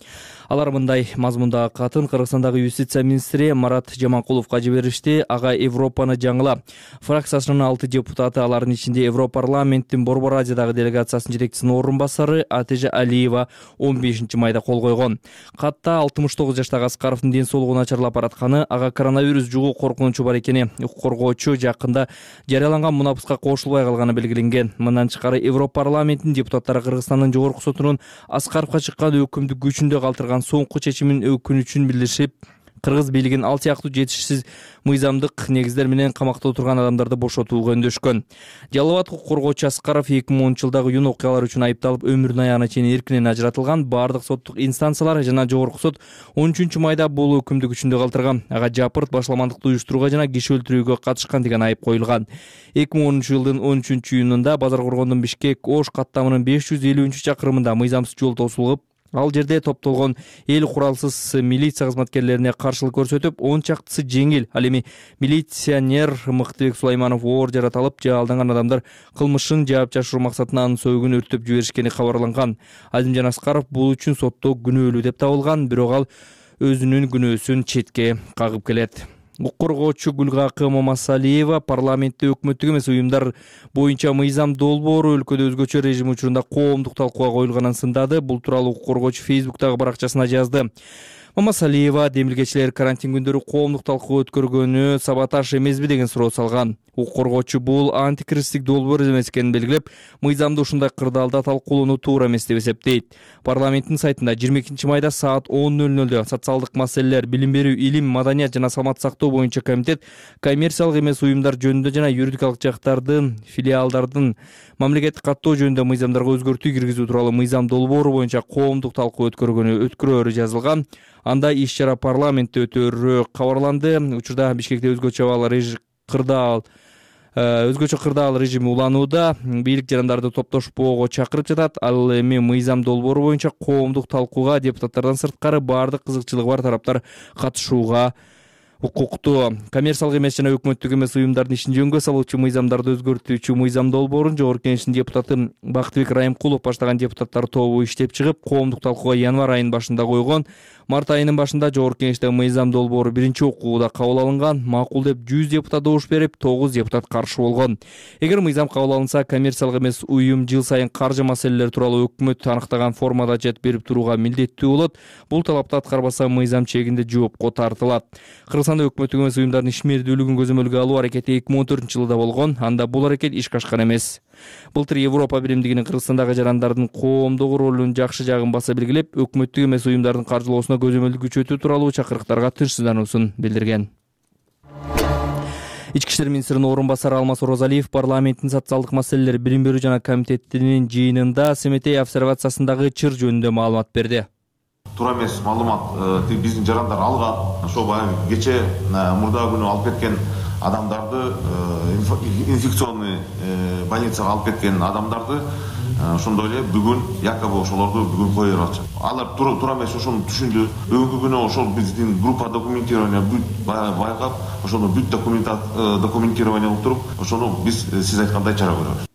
Алар мындай мазмундагы катын Кыргызстандагы юстиция министри Марат Жаманкуловго жиберишти. Ага Европаны жаңыла. Фракциясынын 6 депутаты, алардын ичинде Европарламенттин Борбор Азиядагы делегациясынын жетекчисинин орун басары Атежа Алиева 15 майда кол койгон. Катта 69 жаштагы Аскаровдун ден соолугу начарлап баратканы, ага коронавирус жугуу коркунучу бар экени, укук коргоочу жакында жарыяланган мунапыска кошулбай калганы белгиленген. Мындан тышкары Европарламенттин депутаттары Кыргызстандын жогорку сотунун Аскаровго чыккан өкүмдү күчүндө калтырган соңку чечимин өкүнүчүн билдиришип, кыргыз бийлигин ал сыяктуу жетишсиз мыйзамдык негиздер менен камакта отурган адамдарды бошотууга өндөшкөн. Жалал абад укук коргоочу Аскаров 2010-жылдагы июнь окуялары үчүн айыпталып, өмүрүнүн аягына чейин эркинен ажыратылган. Бардык соттук инстанциялар жана жогорку сот 13 майда бул өкүмдү күчүндө калтырган. Ага жапырт, башламандыкты уюштурууга жана киши өлтүрүүгө катышкан деген айып коюлган. 2010-жылдын 13 июнунда Базар Коргондун Бишкек-Ош каттамынын 550-чакырымында мыйзамсыз жол тосулуп, ал жерде топтолгон эл куралсыз милиция кызматкерлерине каршылык көрсөтүп, 10 чактысы жеңил, ал эми милиционер Мыктыбек Сулайманов оор жаратылып, алданган адамдар кылмышын жаап жашыруу максатында анын сөөгүн өрттөп жиберишкени кабарланган. Азимжан Аскаров бул үчүн сотто күнөөлүү деп табылган, бирок ал өзүнүн күнөөсүн четке кагып келет. Укук коргоочу Гүлгакы Мамасалиева парламентте өкмөттүк эмес уюмдар боюнча мыйзам долбоору өлкөдө өзгөчө режим учурунда коомдук талкууга коюлганын сындады. Бул тууралуу укук коргоочу Facebook'тагы баракчасына жазды. Мамасалиева демилгечилер карантин күндөрү коомдук талкуу өткөргөнү саботаж эмеспи деген суроо салган. Укук коргоочу бул антикризистик долбоор эмес экенин белгилеп, мыйзамды ушундай кырдаалда талкуулоону туура эмес деп эсептейт. Парламенттин сайтында 22 майда саат 10:00 социалдык маселелер, билим берүү, илим, маданият жана саламаттык сактоо боюнча комитет коммерциялык эмес уюмдар жөнүндө жана юридикалык жактардын филиалдардын мамлекеттик каттоо жөнүндө мыйзамдарга өзгөртүү киргизүү тууралуу мыйзам долбоору боюнча коомдук талкуу өткөрөөрү жазылган. Анда иш-чара парламентте өтөөрү кабарланды. Учурда Бишкекте өзгөчө кырдаал режими уланууда. Бийлик жарандарды топтошпоого чакырып жатат. Ал эми мыйзам долбоору боюнча коомдук талкууга депутаттардан сырткары бардык кызыкчылыгы бар тараптар катышууга укуктуу. Коммерциялык эмес жана өкмөттүк эмес уюмдардын ишин жөнгө салуучу мыйзамдарды өзгөртүүчү мыйзам долбоорун Жогорку Кеңештин депутаты Бактыбек Райымкулов баштаган депутаттар тобу иштеп чыгып, коомдук талкууга январь айынын башында койгон. Март айынын башында Жогорку Кеңештеги мыйзам долбоору биринчи окууда кабыл алынган. Макул деп 100 депутат добуш берип, 9 депутат каршы болгон. Эгер мыйзам кабыл алынса, коммерциялык эмес уюм жыл сайын каржы маселелери тууралуу өкмөт аныктаган формада отчет берип турууга милдеттүү болот. Бул талапты аткарбаса, мыйзам чегинде жоопко тартылат. Казакстанда өкмөттүк эмес уюмдардын ишмердүүлүгүн көзөмөлгө алуу аракети 2014-жылы болгон. Анда бул аракет ишке ашкан эмес. Былтыр Европа биримдигинин Кыргызстандагы жарандардын коомдогу ролунун жакшы жагын баса белгилеп, өкмөттүк эмес уюмдардын каржылоосуна көзөмөлдү күчөтүү тууралуу чакырыктарга тынчсыздануусун билдирген. Ички иштер министринин орун басары Алмаз Оразалиев парламенттин социалдык маселелер билим берүү жана комитетинин жыйынында Семетей обсервациясындагы чыр жөнүндө маалымат берди. Туура эмес маалымат биздин жарандар алган. Ошо баягы кече мурдагы күнү алып кеткен адамдарды, инфекционный больницага алып кеткен адамдарды ошондой эле бүгүн якобы ошолорду бүгүн кое берип атышат. Алар туура эмес ошону түшүндү. Бүгүнкү күнү ошол биздин группа документирования байкап, ошону бүт документирование кылып туруп, ошону биз сиз айткандай чара көрөбүз.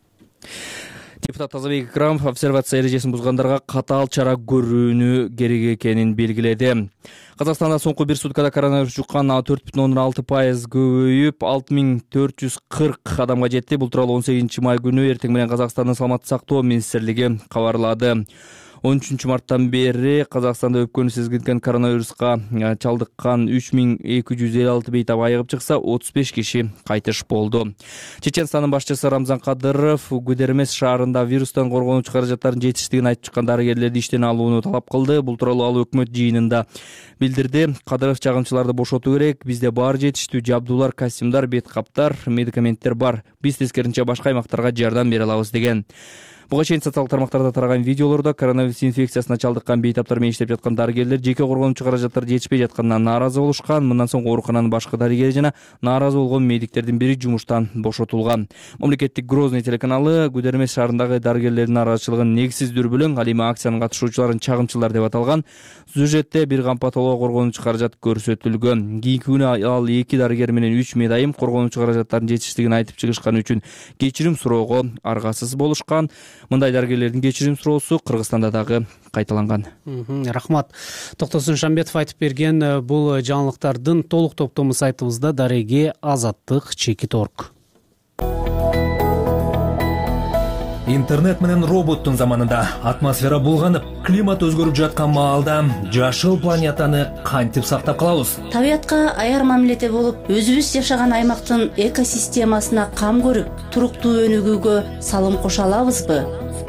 Депутат Тазабек Икрамов обсервация эрежесин бузгандарга катаал чара көрүүнү керек экенин белгиледи. Казакстанда соңку бир суткада коронавирус жуккан 4,6% көбөйүп 6440 адамга жетти. Бул тууралуу 18 май күнү эртең менен Казакстандын саламаттык сактоо министрлиги кабарлады. 13 марттан бери Казакстанда өпкөнү сезгилген коронавируска чалдыккан 3256 бейтап айыгып чыкса, 35 киши кайтыш болду. Чеченстандын башчысы Рамзан Кадыров Гудермес шаарында вирустан коргонуучу каражаттардын жетиштигин айтып чыккан дарыгерлерди иштен алууну талап кылды. Бул тууралуу ал өкмөт жыйынында билдирди. Кадыров чагымчыларды бошотуу керек. Бизде бар жетиштүү жабдуулар, костюмдар, бет каптар, медикаменттер бар. Биз тескерисинче башка аймактарга жардам бере алабыз деген. Буга чейин социалдык тармактарда тараган видеолордо коронавирус инфекциясына чалдыккан бейтаптар менен иштеп жаткан дарыгерлер жеке коргонуучу каражаттар жетишпей жатканынан нааразы болушкан. Мындан соң оорукананын башкы дарыгери жана нааразы болгон медиктердин бири жумуштан бошотулган. Мамлекеттик Грозный телеканалы Гудермес шаарындагы дарыгерлердин нааразычылыгын негизсиз дүрбөлөң, ал эми акциянын катышуучуларын чагымчылар деп аталган. Сюжетте бир кампа толугу коргонуучу каражат көрсөтүлгөн. Кийинки күнү ал 2 дарыгер менен 3 медайым коргонуучу каражаттардын жетиштигин айтып чыгышканы үчүн кечирим суроого аргасыз болушкан. Мындай дарыгерлердин кечирим суроосу Кыргызстанда дагы кайталанган. Рахмат. Токтосун Шамбетов айтып берген бул жаңылыктардын толук топтому сайтыбызда дареги azаттык.org. Интернет менен роботтун заманында атмосфера булганып, климат өзгөрүп жаткан маалда жашыл планетаны кантип сактап калабыз? Табиятка аяр мамиледе болуп, өзүбүз жашаган аймактын экосистемасына кам көрүп, туруктуу өнүгүүгө салым кошо алабызбы?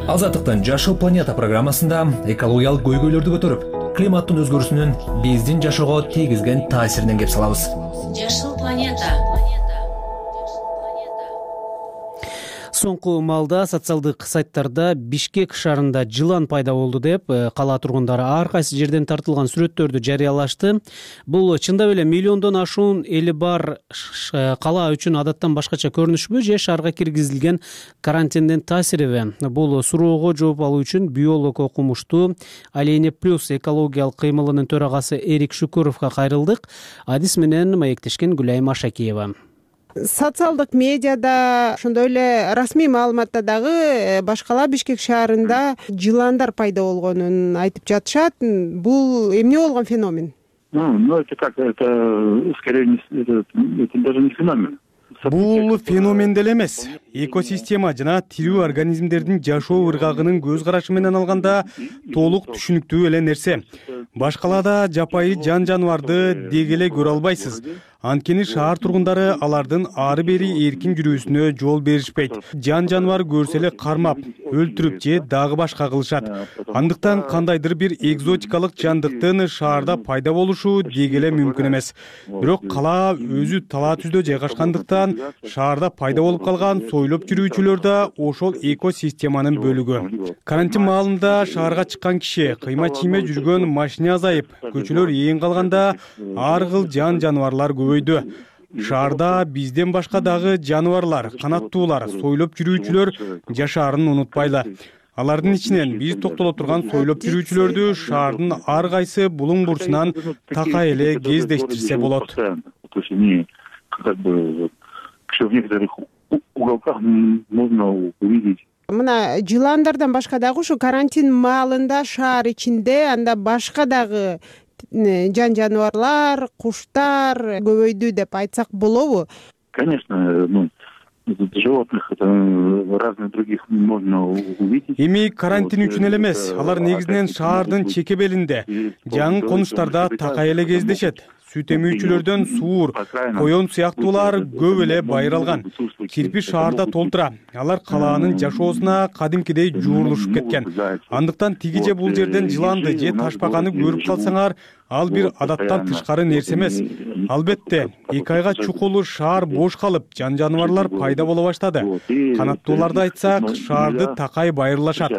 Азаттыктын Жашыл планета программасында экологиялык көйгөйлөрдү көтөрүп, климаттын өзгөрүүсүнүн биздин жашоого тийгизген таасиринен кеп салабыз. Жашыл планета. Соңку маалда социалдык сайттарда Бишкек шаарында жылан пайда болду деп кала тургундары ар кайсы жерден тартылган сүрөттөрдү жарыялашты. Бул чындап эле миллиондон ашуун эли бар кала үчүн адаттан башкача көрүнүшпү же шаарга киргизилген карантиндин таасириби? Бул суроого жооп алуу үчүн биолог окумуштуу Алейне Плюс экологиялык кыймылынын төрагасы Эрик Шукуровго кайрылдык. Адис менен маектешкен Гүлайым Ашакиева. Социалдык медиада, ошондой эле расмий маалыматта дагы башкала Бишкек шаарында жыландар пайда болгонун айтып жатышат. Бул эмне болгон феномен? Это как, это скорее это даже не феномен. Бул феномен деле эмес. Экосистема жана тирүү организмдердин жашоо ыргагынын көз карашы менен алганда толук түшүнүктүү эле нерсе. Башкалада жапайы жан жаныбарды деги эле көрө албайсыз. Анткени шаар тургундары алардын ары бери эркин жүрүүсүнө жол беришпейт. Жан жаныбар көрсө эле кармап, өлтүрүп же дагы башка кылышат. Андыктан кандайдыр бир экзотикалык жандыктын шаарда пайда болушу деги эле мүмкүн эмес. Бирок кала өзү талаа түздө жайгашкандыктан шаарда пайда болуп калган сойлоп жүрүүчүлөр да ошол экосистеманын бөлүгү. Карантин маалында шаарга чыккан киши, кыйма чийме жүргөн машина азайып, көчөлөр ээн калганда ар кыл жан жаныбарлар көбөйдү. Шаарда бизден башка дагы жаныбарлар, канаттуулар, сойлоп жүрүүчүлөр жашаарын унутпайлы. Алардын ичинен биз токтоло турган сойлоп жүрүүчүлөрдү шаардын ар кайсы булуң бурчунан такай эле кездештирсе болот. Мына жыландардан башка дагы ушу карантин маалында шаар ичинде анда башка дагы жан жаныбарлар, куштар көбөйдү деп айтсак болобу? Конечно, животных это разных других можно увидеть. Эми карантин үчүн эле эмес, алар негизинен шаардын чекебелинде, жаңы конуштарда такай эле кездешет. сүт эмүүчүлөрдөн суур, коен сыяктуулар көп эле байыралган. Кирпич шаарда толтура. Алар калаанын жашоосуна кадимкидей жуурулушуп кеткен. Андыктан тиги же бул жерден жыланды же ташбаканы көрүп калсаңар, ал бир адаттан тышкары нерсе эмес. Албетте, 2 айга чукулу шаар бош калып, жаныбарлар пайда боло баштады. Канаттууларды айтсак, шаарды такай байырлашат.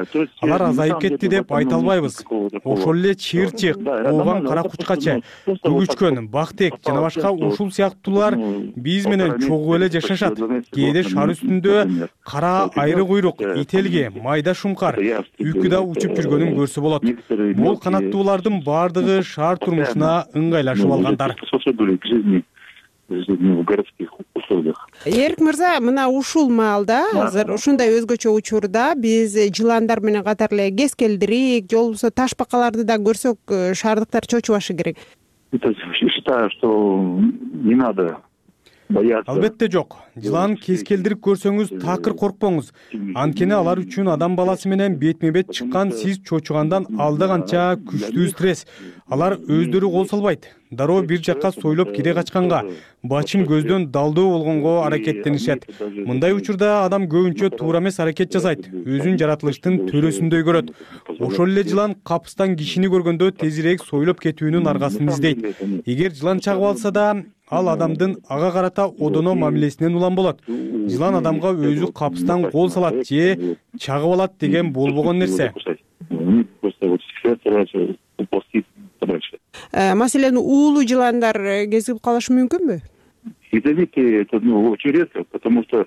Алар азайып кетти деп айта албайбыз. Ошол эле чыйырчык, ообан кара кучкачы, күгүчкөн, бактек жана башка ушул сыяктуулар биз менен чогуу эле жашашат. Кээде шаар үстүндө кара айры куйрук, ителги, майда шумкар, үкү да учуп жүргөнүн көрсө болот. Бул канаттуулардын бардыгы шаар турмушуна ыңгайлашып алгандар. Эрик мырза, мына ушул маалда азыр ушундай өзгөчө учурда биз жыландар менен катар эле кескелдирик, же болбосо ташбакаларды да көрсөк, шаардыктар чочубашы керек. Считаю, что не надо. Албетте жок. Жылан кескелдирип көрсөңүз такыр коркпоңуз. Анткени алар үчүн адам баласы менен бетме бет чыккан сиз чочугандан алда канча күчтүү стресс. Алар өздөрү кол салбайт. Дароо бир жакка сойлоп кире качканга, бачым көздөн далдоо болгонго аракеттенишет. Мындай учурда адам көбүнчө туура эмес аракет жасайт, өзүн жаратылыштын төрөсүндөй көрөт. Ошол эле жылан капыстан кишини көргөндө тезирээк сойлоп кетүүнүн аргасын издейт. Эгер жылан чагып алса да, ал адамдын ага карата одоно мамилесинен улам болот. Жылан адамга өзү капыстан кол салат же чагып алат деген болбогон нерсе. Маселен, уулуу жыландар кезип калышы мүмкүнбү? Это очень редко, потому что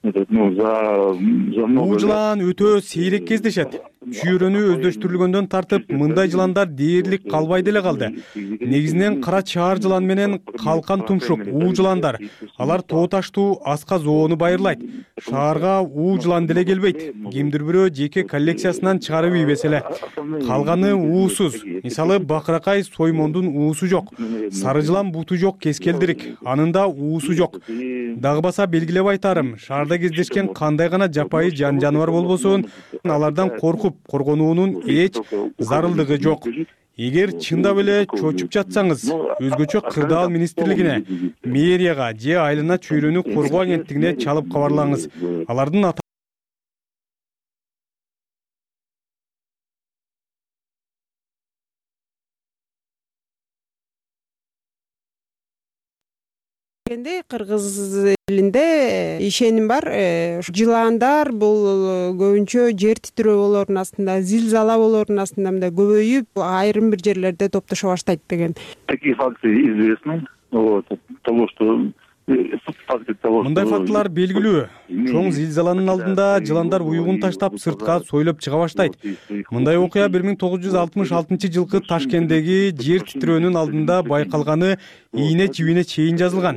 Бул жылан өтө сейрек кездешет. Чүйрөнү өздөштүрүлгөндөн тартып, мындай жыландар дээрлик калбай деле калды. Негизинен кара чаар жылан менен калкан тумшук, уу жыландар. Алар тоо таштуу аска зоону байырлайт. Шаарга уу жылан деле келбейт. Кимдир бирөө жеке коллекциясынан чыгарып ийбесе эле. Калганы уусуз. Мисалы, бакыракай соймондун уусу жок. Сары жылан буту жок кескелдирик. Анында уусу жок. Дагы баса белгилеп айтарым, шаарда кездешкен кандай гана жапайы жаныбар болбосун, алардан коркуп коргонуунун эч зарылдыгы жок. Эгер чындап эле чочуп жатсаңыз, өзгөчө кырдаал министрлигине, мэрияга же айылына чөйрөнү коргоо агенттигине чалып кабарлаңыз. Алардын Кыргыз элинде ишеним бар. Жыландар бул көбүнчө жер титирөөлөрдүн астында, зилзала болоордун астында мындай көбөйүп, айрым бир жерлерде топтошо баштайт деген. Такие факты известны. Того, что мындай фактылар белгилүү. Чоң зилзаланын алдында жыландар уюгун таштап сыртка сойлоп чыга баштайт. Мындай окуя 1966-жылкы Ташкенттеги жер титирөөнүн алдында байкалганы ийне жибине чейин жазылган.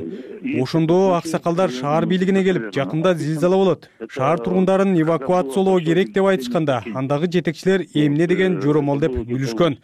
Ошондо аксакалдар шаар бийлигине келип, жакында зилзала болот, шаар тургундарын эвакуациялоо керек деп айтышканда, андагы жетекчилер эмне деген жоромол деп күлүшкөн.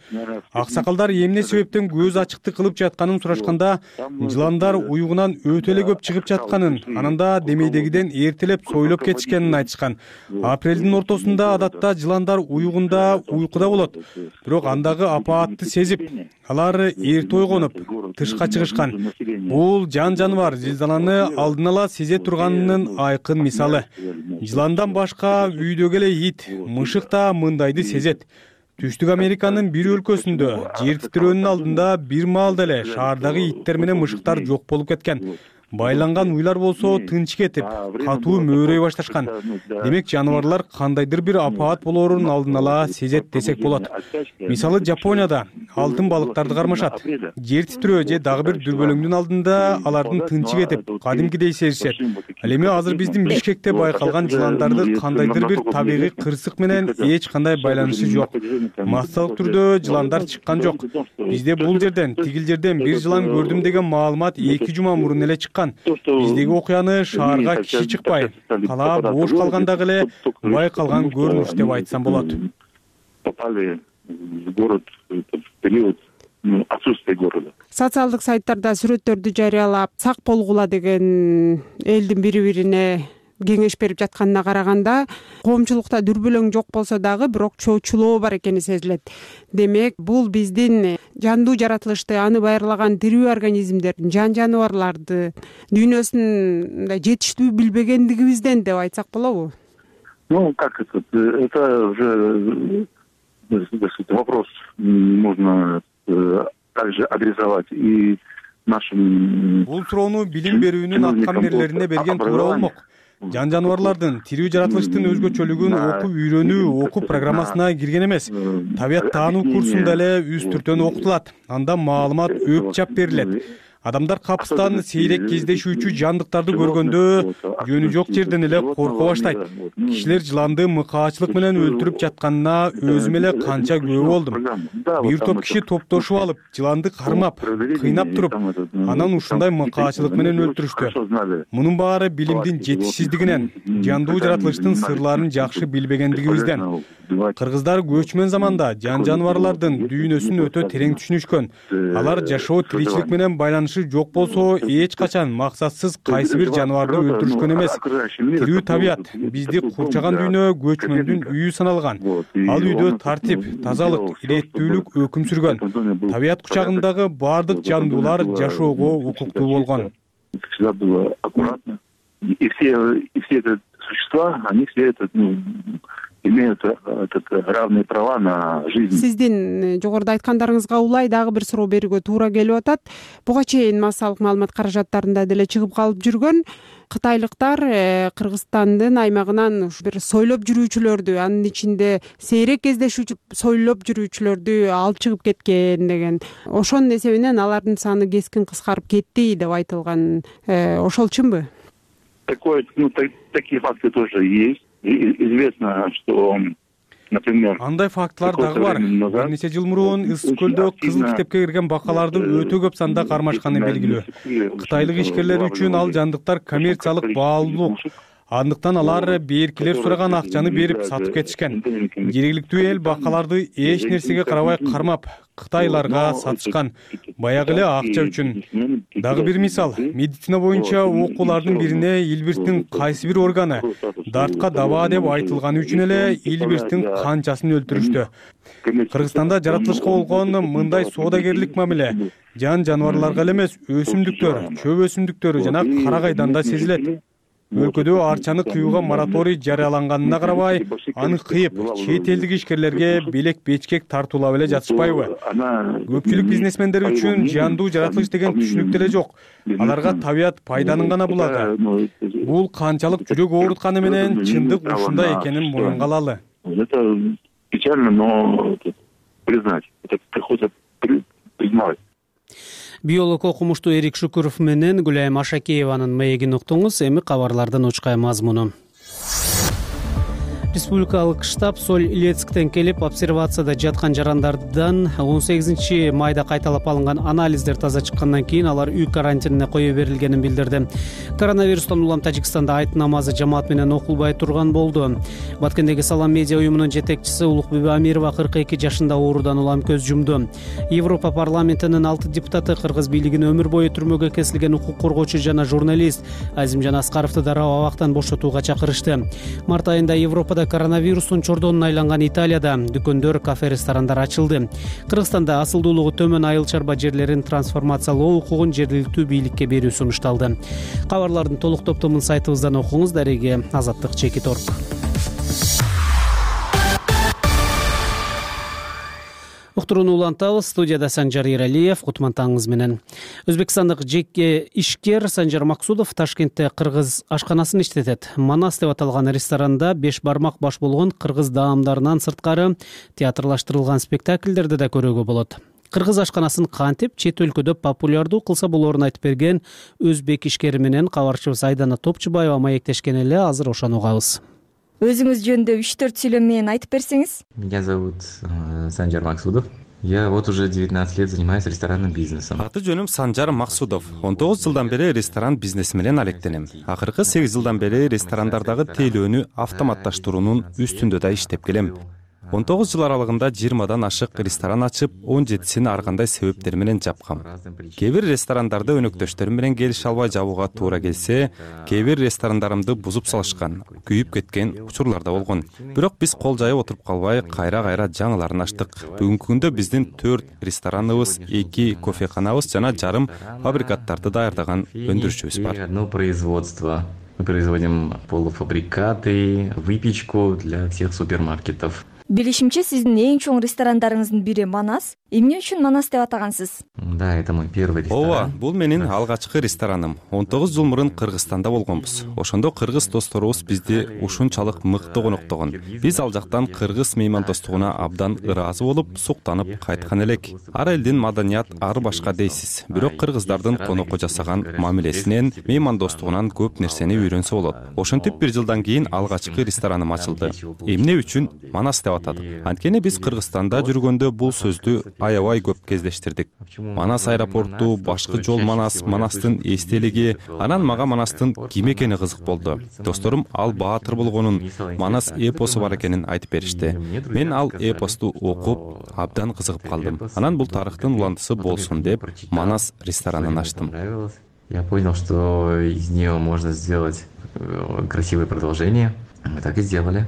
Аксакалдар эмне себептен көз ачыктык кылып жатканын сурашканда, жыландар уюгунан өтө эле көп чыгып жатканын, ананда демейдегиден эртелеп сойлоп кетишкенин айтышкан. Апрелдин ортосунда адатта жыландар уюгунда уйкуда болот. Бирок андагы апаатты сезип, алар эрте ойгонуп, тышка чыгышкан. Бул жаныбар зилзаланы алдын ала сезе турганынын айкын мисалы. Жыландан башка үйдөгү эле ит, мышык да мындайды сезет. Түштүк Американын бир өлкөсүндө жер титирөөнүн алдында бир маалда эле шаардагы иттер менен мышыктар жок болуп кеткен. Байланган уйлар болсо тынч кетип, катуу мөөрөй башташкан. Демек, жаныбарлар кандайдыр бир апаат болоорун алдын ала сезет десек болот. Мисалы, Жапонияда алтын балыктарды кармашат. Жер титирөө же дагы бир дүрбөлөңдүн алдында алардын тынчы кетип, кадимкидей сезишет. Ал эми азыр биздин Бишкекте байкалган жыландарды кандайдыр бир табигый кырсык менен эч кандай байланышы жок. Массалык түрдө жыландар чыккан жок. Бизде бул жерден, тигил жерден бир жылан көрдүм деген маалымат 2 жума мурун эле чыккан. Биздеги окуяны шаарга киши чыкпай, кала бош калгандагы эле байкалган көрүнүш деп айтсам болот. Попали в город в период отсутствия города. Социалдык сайттарда сүрөттөрдү жарыялап, сак болгула деген элдин бири-бирине кеңеш берип жатканына караганда коомчулукта дүрбөлөң жок болсо дагы бирок чоочулоо бар экени сезилет. Демек, бул биздин жандуу жаратылышты, аны байырлаган тирүү организмдердин, жаныбарларды дүйнөсүн жетиштүү билбегендигибизден деп айтсак болобу? Ну, как это уже вопрос нужно также адресовать и нашим. Бул суроону билим берүүнүн аткаминерлерине берген туура болмок. Жаныбарлардын тирүү жаратылыштын өзгөчөлүгүн окуп үйрөнүү окуу программасына кирген эмес. Табият таануу курсунда эле үстүртөн окутулат. Анда маалымат өп чап берилет. Адамдар капыстан сейрек кездешүүчү жандыктарды көргөндө жөнү жок жерден эле корко баштайт. Кишилер жыланды мыкаачылык менен өлтүрүп жатканына өзүм эле канча күбө болдум. Бир топ киши топтошуп алып, жыланды кармап, кыйнап туруп, анан ушундай мыкаачылык менен өлтүрүштү. Мунун баары билимдин жетишсиздигинен, жандуу жаратылыштын сырларын жакшы билбегендигибизден. Кыргыздар көчмөн заманда жаныбарлардын дүйнөсүн өтө терең түшүнүшкөн. Алар жашоо тиричилик менен байланышы жок болсо эч качан максатсыз кайсы бир жаныбарды өлтүрүшкөн эмес. Тирүү табият бизди курчаган дүйнө көчмөндүн үйү саналган. Ал үйдө тартип, тазалык, иреттүүлүк өкүм сүргөн. Табият кучагындагы баардык жандуулар жашоого укуктуу болгон. Всегда было аккуратно. И все эти существа, они все это, имеют равные права на жизнь. Сиздин жогоруда айткандарыңызга улай дагы бир суроо берүүгө туура келип атат. Буга чейин массалык маалымат каражаттарында деле чыгып калып жүргөн кытайлыктар Кыргызстандын аймагынан бир сойлоп жүрүүчүлөрдү, анын ичинде сейрек кездешүүчү сойлоп жүрүүчүлөрдү алып чыгып кеткен деген. Ошонун эсебинен алардын саны кескин кыскарып кетти деп айтылган. Ошол чынбы? Такие факты тоже есть. Известно, что, например, андай фактылар дагы бар. Бир нече жыл мурун Ысык көлдө кызыл китепке кирген бакалардын өтө көп санда кармашканы белгилүү. Кытайлык ишкерлер үчүн ал жандыктар коммерциялык баалуулук. Андыктан алар беркилер сураган акчаны берип сатып кетишкен. Жергиликтүү эл бакаларды эч нерсеге карабай кармап, кытайларга сатышкан. Баягы эле акча үчүн. Дагы бир мисал, медицина боюнча окуулардын бирине Илбирстин кайсы бир органы дартка даба деп айтылганы үчүн эле Илбирстин канчасын өлтүрүштү. Кыргызстанда жаратылышка болгон мындай соодагерлик мамиле жаныбарларга эле эмес, өсүмдүктөр, чөп өсүмдүктөрү жана карагайдан да сезилет. Өлкөдө арчаны кыюуга мораторий жарыяланганына карабай, аны кыйып, чет элдик ишкерлерге белек-бечкек тартуулап эле жатышпайбы? Көпчүлүк бизнесмендер үчүн жандуу жаратылыш деген түшүнүк деле жок. Аларга табият пайданын гана булагы. Бул канчалык жүрөк оорутканы менен чындык ушундай экенин мурунга алалы. Это печально, но признать. Это приходится признавать. Биолог окумуштуу Эрик Шукуров менен Гүлайым Ашакееванын маегин уктуңуз. Эми кабарлардын учкай мазмуну. Республикалык штаб Соль Илецктен келип обсервацияда жаткан жарандардан 18 майда кайталап алынган анализдер таза чыккандан кийин алар үй карантинине кое берилгенин билдирди. Коронавирустан улам Тажикстанда айт намазы жамаат менен окулбай турган болду. Баткендеги Салам медиа уюмунун жетекчиси Улукбүбү Амирова 42 жашында оорудан улам көз жумду. Европа парламентинин 6 депутаты кыргыз бийлигин өмүр бою түрмөгө кесилген укук коргоочу жана журналист Азимжан Аскаровду дароо абактан бошотууга чакырышты. Март айында Европада коронавирустун чордонуна айланган Италияда дүкөндөр, кафе, ресторандар ачылды. Кыргызстанда асылдуулугу төмөн айыл чарба жерлерин трансформациялоо укугун жергиликтүү бийликке берүү сунушталды. Кабарлардын толук топтомун сайтыбыздан окуңуз. Дареги Азаттык Чекиторг. Уктурууну улантабыз. Студияда Санжар Иралиев, кутмантаңыз менен. Өзбекстандык жеке ишкер Санжар Максудов Ташкентте кыргыз ашканасын иштетет. Манас деп аталган ресторанда 5 бармак баш болгон кыргыз даамдарынан сырткары театрлаштырылган спектакльдерди да көрүүгө болот. Кыргыз ашканасын кантип чет өлкөдө популярдуу кылса болоорун айтып берген өзбек ишкери менен кабарчыбыз Айдана Топчубаева маектешкен эле. Азыр ошону угабыз. Өзүңүз жөнүндө 3-4 сүйлөм менен айтып берсеңиз. Меня зовут Санжар Максудов. Я вот уже 19 лет занимаюсь ресторанным бизнесом. Аты жөнүм Санжар Максудов. 19 жылдан бери ресторан бизнеси менен алектенем. Акыркы 8 жылдан бери ресторандардагы тейлөөнү автоматташтыруунун үстүндө да иштеп келем. 19 жыл аралыгында 20дан ашык ресторан ачып, 17син ар кандай себептер менен жапкам. Кээ бир ресторандарды өнөктөштөрүм менен келише албай жабууга туура келсе, кээ бир ресторандарымды бузуп салышкан, күйүп кеткен учурлар да болгон. Бирок биз кол жайып отуруп калбай, кайра жаңыларын ачтык. Бүгүнкү күндө биздин 4 рестораныбыз, 2 кофеханабыз жана жарым фабрикаттарды даярдаган өндүрүшүбүз бар. Мы производим полуфабрикаты, выпечку для всех супермаркетов. Билишимче, сиздин эң чоң ресторандарыңыздын бири Манас. Эмне үчүн Манас деп атагансыз? Да, это мой первый ресторан. Ооба, бул менин алгачкы рестораным. 19 жыл мурун Кыргызстанда болгонбуз. Ошондо кыргыз досторубуз бизди ушунчалык мыкты коноктогон. Биз ал жактан кыргыз меймандостугуна абдан ыраазы болуп, суктанып кайткан элек. Ар элдин маданият ар башка дейсиз. Бирок кыргыздардын конокко жасаган мамилесинен, меймандостугунан көп нерсени үйрөнсө болот. Ошентип бир жылдан кийин алгачкы рестораным ачылды. Эмне үчүн Манас деп атадык? Анткени биз Кыргызстанда жүргөндө бул сөздү аябай көп кездештирдик. Манас аэропорту, башкы жол Манас, Манастын эстелиги, анан мага Манастын ким экени кызык болду. Досторум ал баатыр болгонун, Манас эпосу бар экенин айтып беришти. Мен ал эпосту окуп, абдан кызыгып калдым. Анан бул тарыхтын уландысы болсун деп Манас ресторанын ачтым. Я понял, что из нее можно сделать красивое продолжение. Мы так и сделали.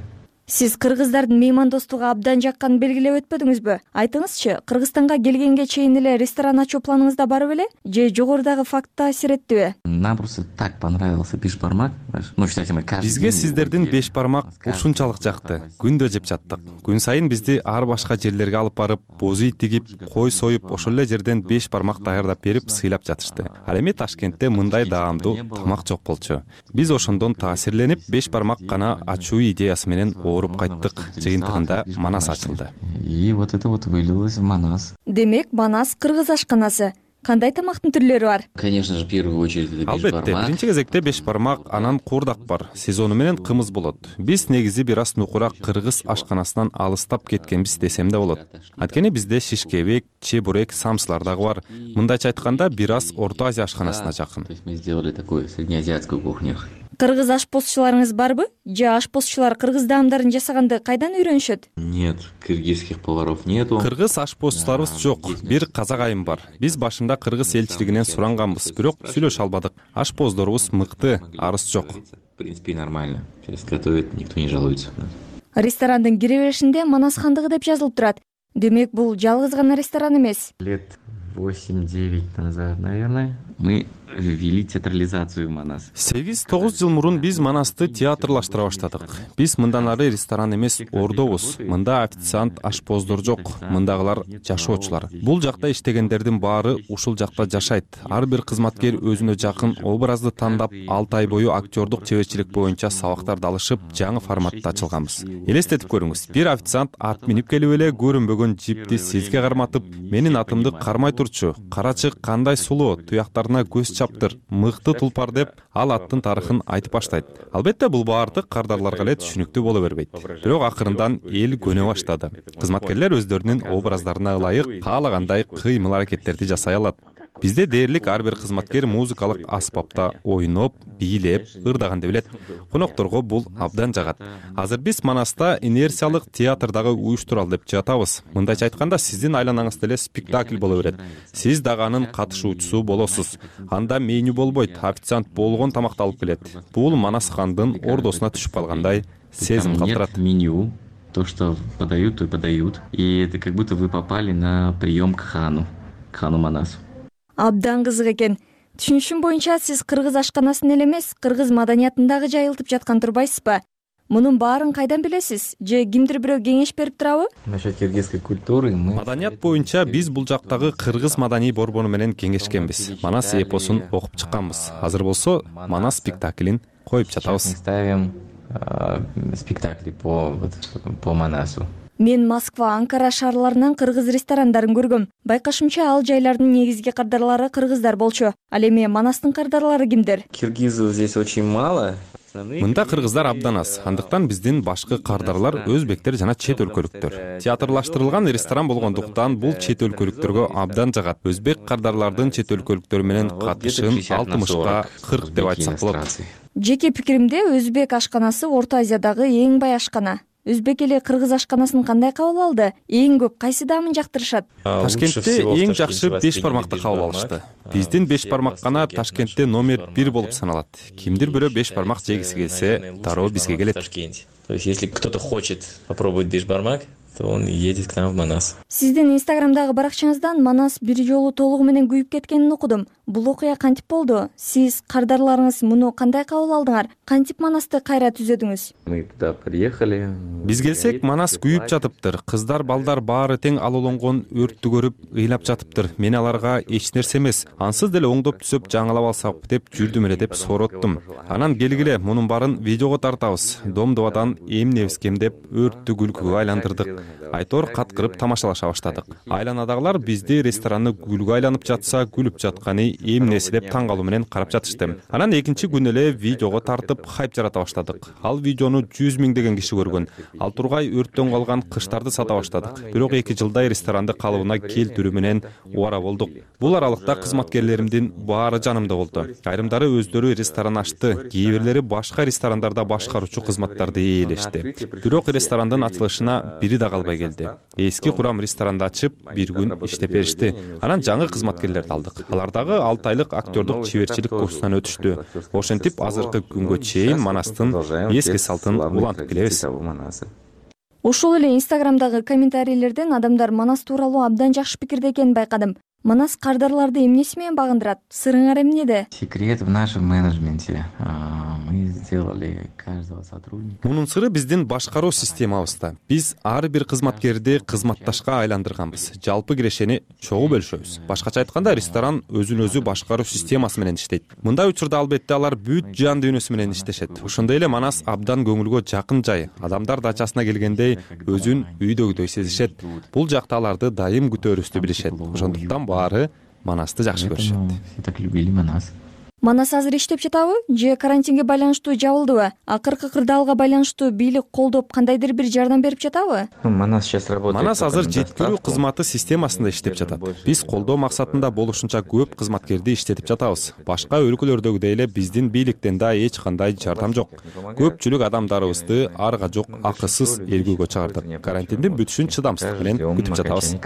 Сиз кыргыздардын меймандостугу абдан жакканын белгилеп өтпөдүңүзбү? Айтыңызчы, Кыргызстанга келгенге чейин эле ресторан ачуу планыңызда бар беле? Же жогорудагы факт таасир эттиби? Нам просто так понравился бешбармак. Ну, считайте, мы каждый Бизге сиздердин бешбармак ушунчалык жакты. Күндө жеп жаттык. Күн сайын бизди ар башка жерлерге алып барып, боз үй тигип, кой союп, ошол эле жерден бешбармак даярдап берип, сыйлап жатышты. Ал эми Ташкентте мындай даамдуу тамак жок болчу. Биз ошондон таасирленип, бешбармак гана ачуу идеясы менен ооруп кайттык. Жыйынтыгында Манас ачылды. И вот это вот вылилось в Манас. Демек, Манас кыргыз ашканасы. Кандай тамактын түрлөрү бар? Конечно же, в первую очередь это бешбармак. Албетте, биринчи кезекте бешбармак, анан куурдак бар. Сезону менен кымыз болот. Биз негизи бир аз нукурак кыргыз ашканасынан алыстап кеткенбиз десем да болот. Анткени бизде шишкебек, чебурек, самсылар дагы бар. Мындайча айтканда, бир аз Орто Азия ашканасына жакын. То есть мы сделали такую среднеазиатскую кухню. Кыргыз ашпозчуларыңыз барбы? Же ашпозчулар кыргыз даамдарын жасаганды кайдан үйрөнүшөт? Нет, кыргызских поваров нету. Кыргыз ашпозчуларыбыз жок. Бир казак айым бар. Биз башында кыргыз элчилигинен суранганбыз, бирок сүйлөшө албадык. Ашпоздорубуз мыкты, арыз жок. В принципе, нормально. Сейчас готовит, никто не жалуется. Ресторандын кире беришинде Манас хандыгы деп жазылып турат. Демек, бул жалгыз гана ресторан эмес. Лет 8-9 назад, наверное, мы ввели театрализацию в Манас. 8-9 жыл мурун биз Манасты театрлаштыра баштадык. Биз мындан ары ресторан эмес, ордобуз. Мында официант, ашпоздор жок. Мындагылар жашоочулар. Бул жакта иштегендердин баары ушул жакта жашайт. Ар бир кызматкер өзүнө жакын образды тандап, 6 ай бою актёрдук чеберчилик боюнча сабактарды алышып, жаңы форматта ачылганбыз. Элестетип көрүңүз. Бир официант ат минип келип эле көрүнбөгөн жипти сизге карматып, менин атымды кармай турчу. Карачы кандай сулуу, туяктарына көз чаптыр, мыкты тулпар деп ал аттын тарыхын айтып баштайт. Албетте бул баардык кардарларга эле түшүнүктүү боло бербейт. Бирок акырындан эл көнө баштады. Кызматкерлер өздөрүнүн образдарына ылайык каалагандай кыймыл аракеттерди жасай алат. Бизде дээрлик ар бир кызматкер музыкалык аспапта ойноп, бийлеп, ырдаганды билет. Конокторго бул абдан жагат. Азыр биз Манаста инерциялык театрдагы уюштурал деп жатабыз. Мындайча айтканда, сиздин айланаңызда эле спектакль боло берет. Сиз дагы анын катышуучусу болосуз. Анда меню болбойт, официант болгон тамакты алып келет. Бул Манас хандын ордосуна түшүп калгандай сезим калтырат. Меню, то, что подают, то и подают. И это как будто вы попали на прием к хану Манасу. Абдан кызык экен. Түшүнүшүм боюнча сиз кыргыз ашканасын эле эмес, кыргыз маданиятын дагы жайылтып жаткан турбайсызбы? Мунун баарын кайдан билесиз? Же кимдир бирөө кеңеш берип турабы? Насчет киргизской культуры мы... Маданият боюнча биз бул жактагы кыргыз маданий борбону менен кеңешкенбиз. Манас эпосун окуп чыкканбыз. Азыр болсо Манас спектаклин коюп жатабыз. Ставим спектакли по Манасу. Мен Москва, Анкара шаарларынан кыргыз ресторандарын көргөм. Байкашымча ал жайлардын негизги кардарлары кыргыздар болчу. Ал эми Манастын кардарлары кимдер? Киргизов здесь очень мало. Мында кыргыздар абдан аз. Андыктан биздин башкы кардарлар өзбектер жана чет өлкөлүктөр. Театрлаштырылган ресторан болгондуктан бул чет өлкөлүктөргө абдан жагат. Өзбек кардарлардын чет өлкөлүктөр менен катышын 60-ка 40 деп айтсак болот. Жеке пикиримде өзбек ашканасы Орто Азиядагы эң бай ашкана. өзбек эли кыргыз ашканасын кандай кабыл алды? Эң көп кайсы даамын жактырышат? Ташкентте эң жакшы 5 бармакты кабыл алышты. Биздин 5 бармак гана Ташкентте номер 1 болуп саналат. Кимдир бирөө 5 бармак жегиси келсе, дароо бизге келет. То есть, если кто-то хочет попробовать бешбармак, то он едет к нам в Манас. Сиздин Инстаграмдагы баракчаңыздан Манас бир жолу толугу менен күйүп кеткенин окудум. Бул окуя кантип болду? Сиз кардарларыңыз муну кандай кабыл алдыңар? Кантип Манасты кайра түзөдүңүз? Мы туда приехали. Биз келсек, Манас күйүп жатыптыр. Кыздар, балдар баары тең алуулангон өрттү көрүп ыйлап жатыптыр. Мен аларга эч нерсе эмес, ансыз деле оңдоп түзөп жаңылап алсак деп жүрдүм эле деп сороттум. Анан келгиле, мунун баарын видеого тартабыз. Домдубадан эмнебизкем деп өрттү күлкүгө айландырдык. Айтор каткырып тамашалаша баштадык. Айланадагылар бизди ресторанны күлгү айланып жатса, күлүп жатканы эмнеси деп таң калуу менен карап жатышты. Анан экинчи күн эле видеого тартып хайп жарата баштадык. Ал видеону 100 миңдеген киши көргөн. Ал тургай өрттөн калган кыштарды сата баштадык. Бирок 2 жылдай ресторанды калыбына келтирүү менен убара болдук. Бул аралыкта кызматкерлеримдин баары жанымда болду. Айрымдары өздөрү ресторан ачты, кээ бирлери башка ресторандарда башкаруучу кызматтарды ээлешти. Бирок ресторандын ачылышына бири да калбай келди. Эски курам ресторанды ачып, бир күн иштеп беришти. Анан жаңы кызматкерлерди алдык. Алар дагы 6 айлык актёрдук чеберчилик курсунан өтүштү. Ошентип азыркы күнгө чейин Манастын эски салтын улантып келебиз. Ошол эле Инстаграмдагы комментарийлерден адамдар Манас тууралуу абдан жакшы пикирде экенин байкадым. Манас кардарларды эмнеси менен багындырат? Сырыңар эмнеде? Секрет в нашем менеджменте. Мы сделали каждого сотрудника. Мунун сыры биздин башкаруу системабызда. Биз ар бир кызматкерди кызматташка айландырганбыз. Жалпы кирешени чогуу бөлүшөбүз. Башкача айтканда, ресторан өзүн-өзү башкаруу системасы менен иштейт. Мындай учурда албетте алар бүт жан дүйнөсү менен иштешет. Ошондой эле Манас абдан көңүлгө жакын жай. Адамдар дачасына келгендей өзүн үйдөгүдөй сезишет. Бул жакта аларды дайым күтөрүбүздү билишет. Ошондуктан баары Манасты жакшы көрүшөт. Так любили Манас. Манас азыр иштеп жатабы же карантинге байланыштуу жабылдыбы? Акыркы кырдаалга байланыштуу бийлик колдоп кандайдыр бир жардам берип жатабы? Манас сейчас работает. Манас азыр жеткирүү кызматы системасында иштеп жатат. Биз колдоо максатында болушунча көп кызматкерди иштетип жатабыз. Башка өлкөлөрдөгүдөй эле биздин бийликтен да эч кандай жардам жок. Көпчүлүк адамдарыбызды арга жок акысыз элгүүгө чыгардык. Карантиндин бүтүшүн чыдамсыздык менен күтүп жатабыз.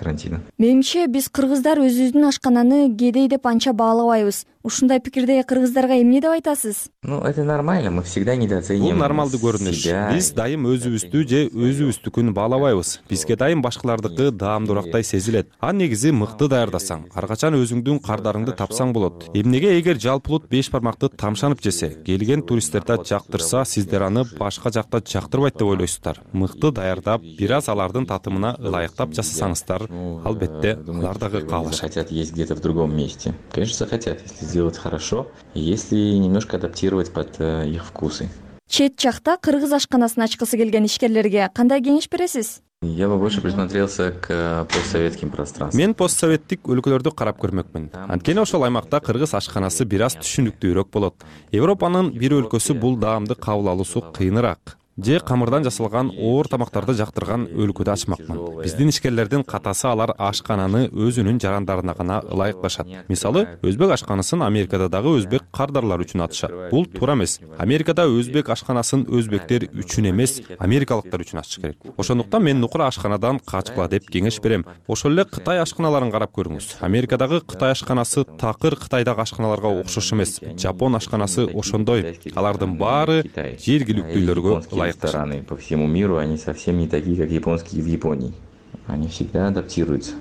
Менимче биз кыргыздар өзүбүздүн ашкананы кедей деп анча баалабайбыз. Ушундай пикирде кыргыздарга эмне деп айтасыз? Это нормально, мы всегда недооцениваем. Бул нормалдуу көрүнүш. Биз дайым өзүбүздү же өзүбүздүкүн баалабайбыз. Бизге дайым башкалардыкы даамдуурактай сезилет. А негизи мыкты даярдасаң, ар качан өзүңдүн кардарыңды тапсаң болот. Эмнеге эгер жалпылут 5 бармакты тамшанып жесе, келген туристтерде жактырса, сиздер аны башка жакта жактырбайт деп ойлойсуздар. Мыкты даярдап, бир аз алардын татымына ылайыктап жасасаңыздар, албетте алар дагы каалашат. Хотят есть где-то в другом месте. Конечно, захотят, если сделать хорошо, если немножко адаптировать под их вкусы. Чет жакта кыргыз ашканасын ачкысы келген ишкерлерге кандай кеңеш бересиз? Я бы больше присмотрелся к постсоветским пространствам. Мен постсоветтик өлкөлөрдү карап көрмөкмүн. Анткени ошол аймакта кыргыз ашканасы бир аз түшүнүктүүрөөк болот. Европанын бир өлкөсү бул даамды кабыл алуусу кыйыныраак. Же камырдан жасалган оор тамактарды жактырган өлкөдө ачмакмын. Биздин ишкерлердин катасы алар ашкананы өзүнүн жарандарына гана ылайыкташат. Мисалы, өзбек ашканасын Америкада дагы өзбек кардарлар үчүн атышат. Бул туура эмес. Америкада өзбек ашканасын өзбектер үчүн эмес, америкалыктар үчүн ачыш керек. Ошондуктан мен нукура ашканадан качкыла деп кеңеш берем. Ошол эле Кытай ашканаларын карап көрүңүз. Америкадагы Кытай ашканасы такыр Кытайдагы ашканаларга окшош эмес. Жапон ашканасы ошондой. Алардын баары жергиликтүүлөргө рестораны по всему миру, они совсем не такие, как японские в Японии. Они всегда адаптируются.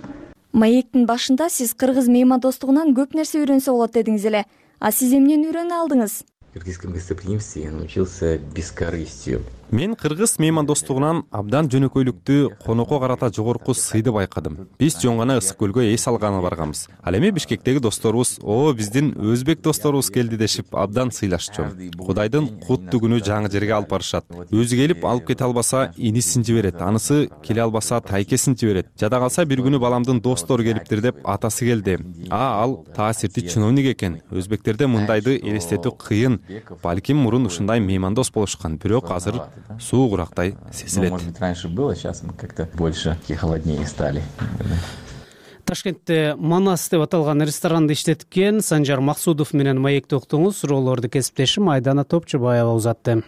Маектин башында сиз кыргыз меймандостугунан көп нерсе үйрөнсө болот дедиңиз эле. А сиз эмнени үйрөнө алдыңыз? В кыргызском гостеприимстве я научился бескорыстию. Мен кыргыз меймандостугунан абдан жөнөкөйлүктү, конокко карата жогорку сыйды байкадым. Биз жөн гана ысык көлгө эс алганы барганбыз. Ал эми Бишкектеги досторубуз, биздин өзбек досторубуз келди дешип абдан сыйлашчу. Кудайдын куттуу күнү жаңы жерге алып барышат. Өзү келип алып кете албаса инисин жиберет, анысы келе албаса тайкесин жиберет. Жада калса бир күнү баламдын достору келиптир деп атасы келди. Ал таасирдүү чиновник экен. Өзбектерде мындайды элестетүү кыйын. Балким мурун ушундай меймандос болушкан, бирок азыр суугурактай сезилет. Может быть, раньше было, сейчас мы как-то больше холоднее стали. Ташкентте Манас деп аталган ресторанды иштеткен Санжар Максудов менен маекте уктуңуз. Суроолорду кесиптешим Айдана Топчубаева узатты.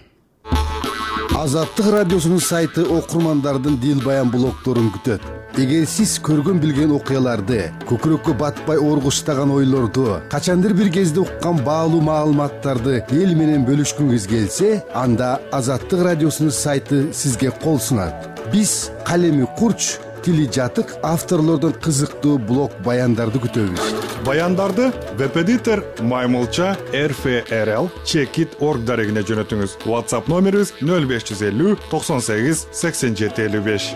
Азаттык радиосунун сайты окурмандардын дил баян блогдорун күтөт. Эгер сиз көргөн билген окуяларды, көкүрөккө батпай оргуштаган ойлорду, качандыр бир кезде уккан баалуу маалыматтарды эл менен бөлүшкүңүз келсе, анда Азаттык радиосунун сайты сизге кол сунат. Биз калеми курч, тили жатык авторлордон кызыктуу блог баяндарды күтөбүз. Баяндарды веб-эдитор Маймылча RFRL Checkit.org дарегине жөнөтүңүз. WhatsApp номерибиз 0550 98 87 55.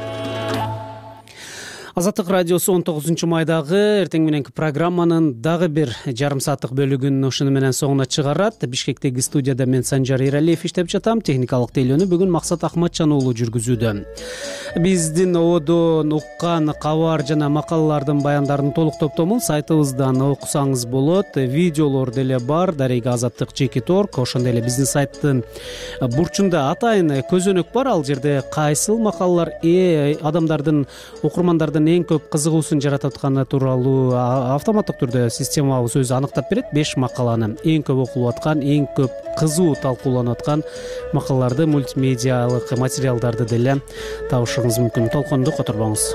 Азаттык радиосу 19-майдагы эртең мененки программанын дагы бир жарым сааттык бөлүгүн ушуну менен соңуна чыгарат. Бишкектеги студияда мен Санжар Эралиев иштеп жатам. Техникалык тейлөөнү бүгүн Максат Ахматжан уулу жүргүзүүдө. Биздин ободон уккан кабар жана макалалардын баяндарын толук топтомун сайтыбыздан окусаңыз болот. Видеолор деле бар. Дареги Азаттык.org. Ошондой эле биздин сайттын бурчунда атайын көзөнөк бар. Ал жерде кайсыл макалалар адамдардын, окурмандардын эң көп кызыгуусун жаратып атканы тууралуу автоматтык түрдө системабыз өзү аныктап берет. 5 макаланы, эң көп окулуп аткан, эң көп кызуу талкууланып аткан макалаларды, мультимедиалык материалдарды деле табышыңыз мүмкүн. Толконду которбоңуз.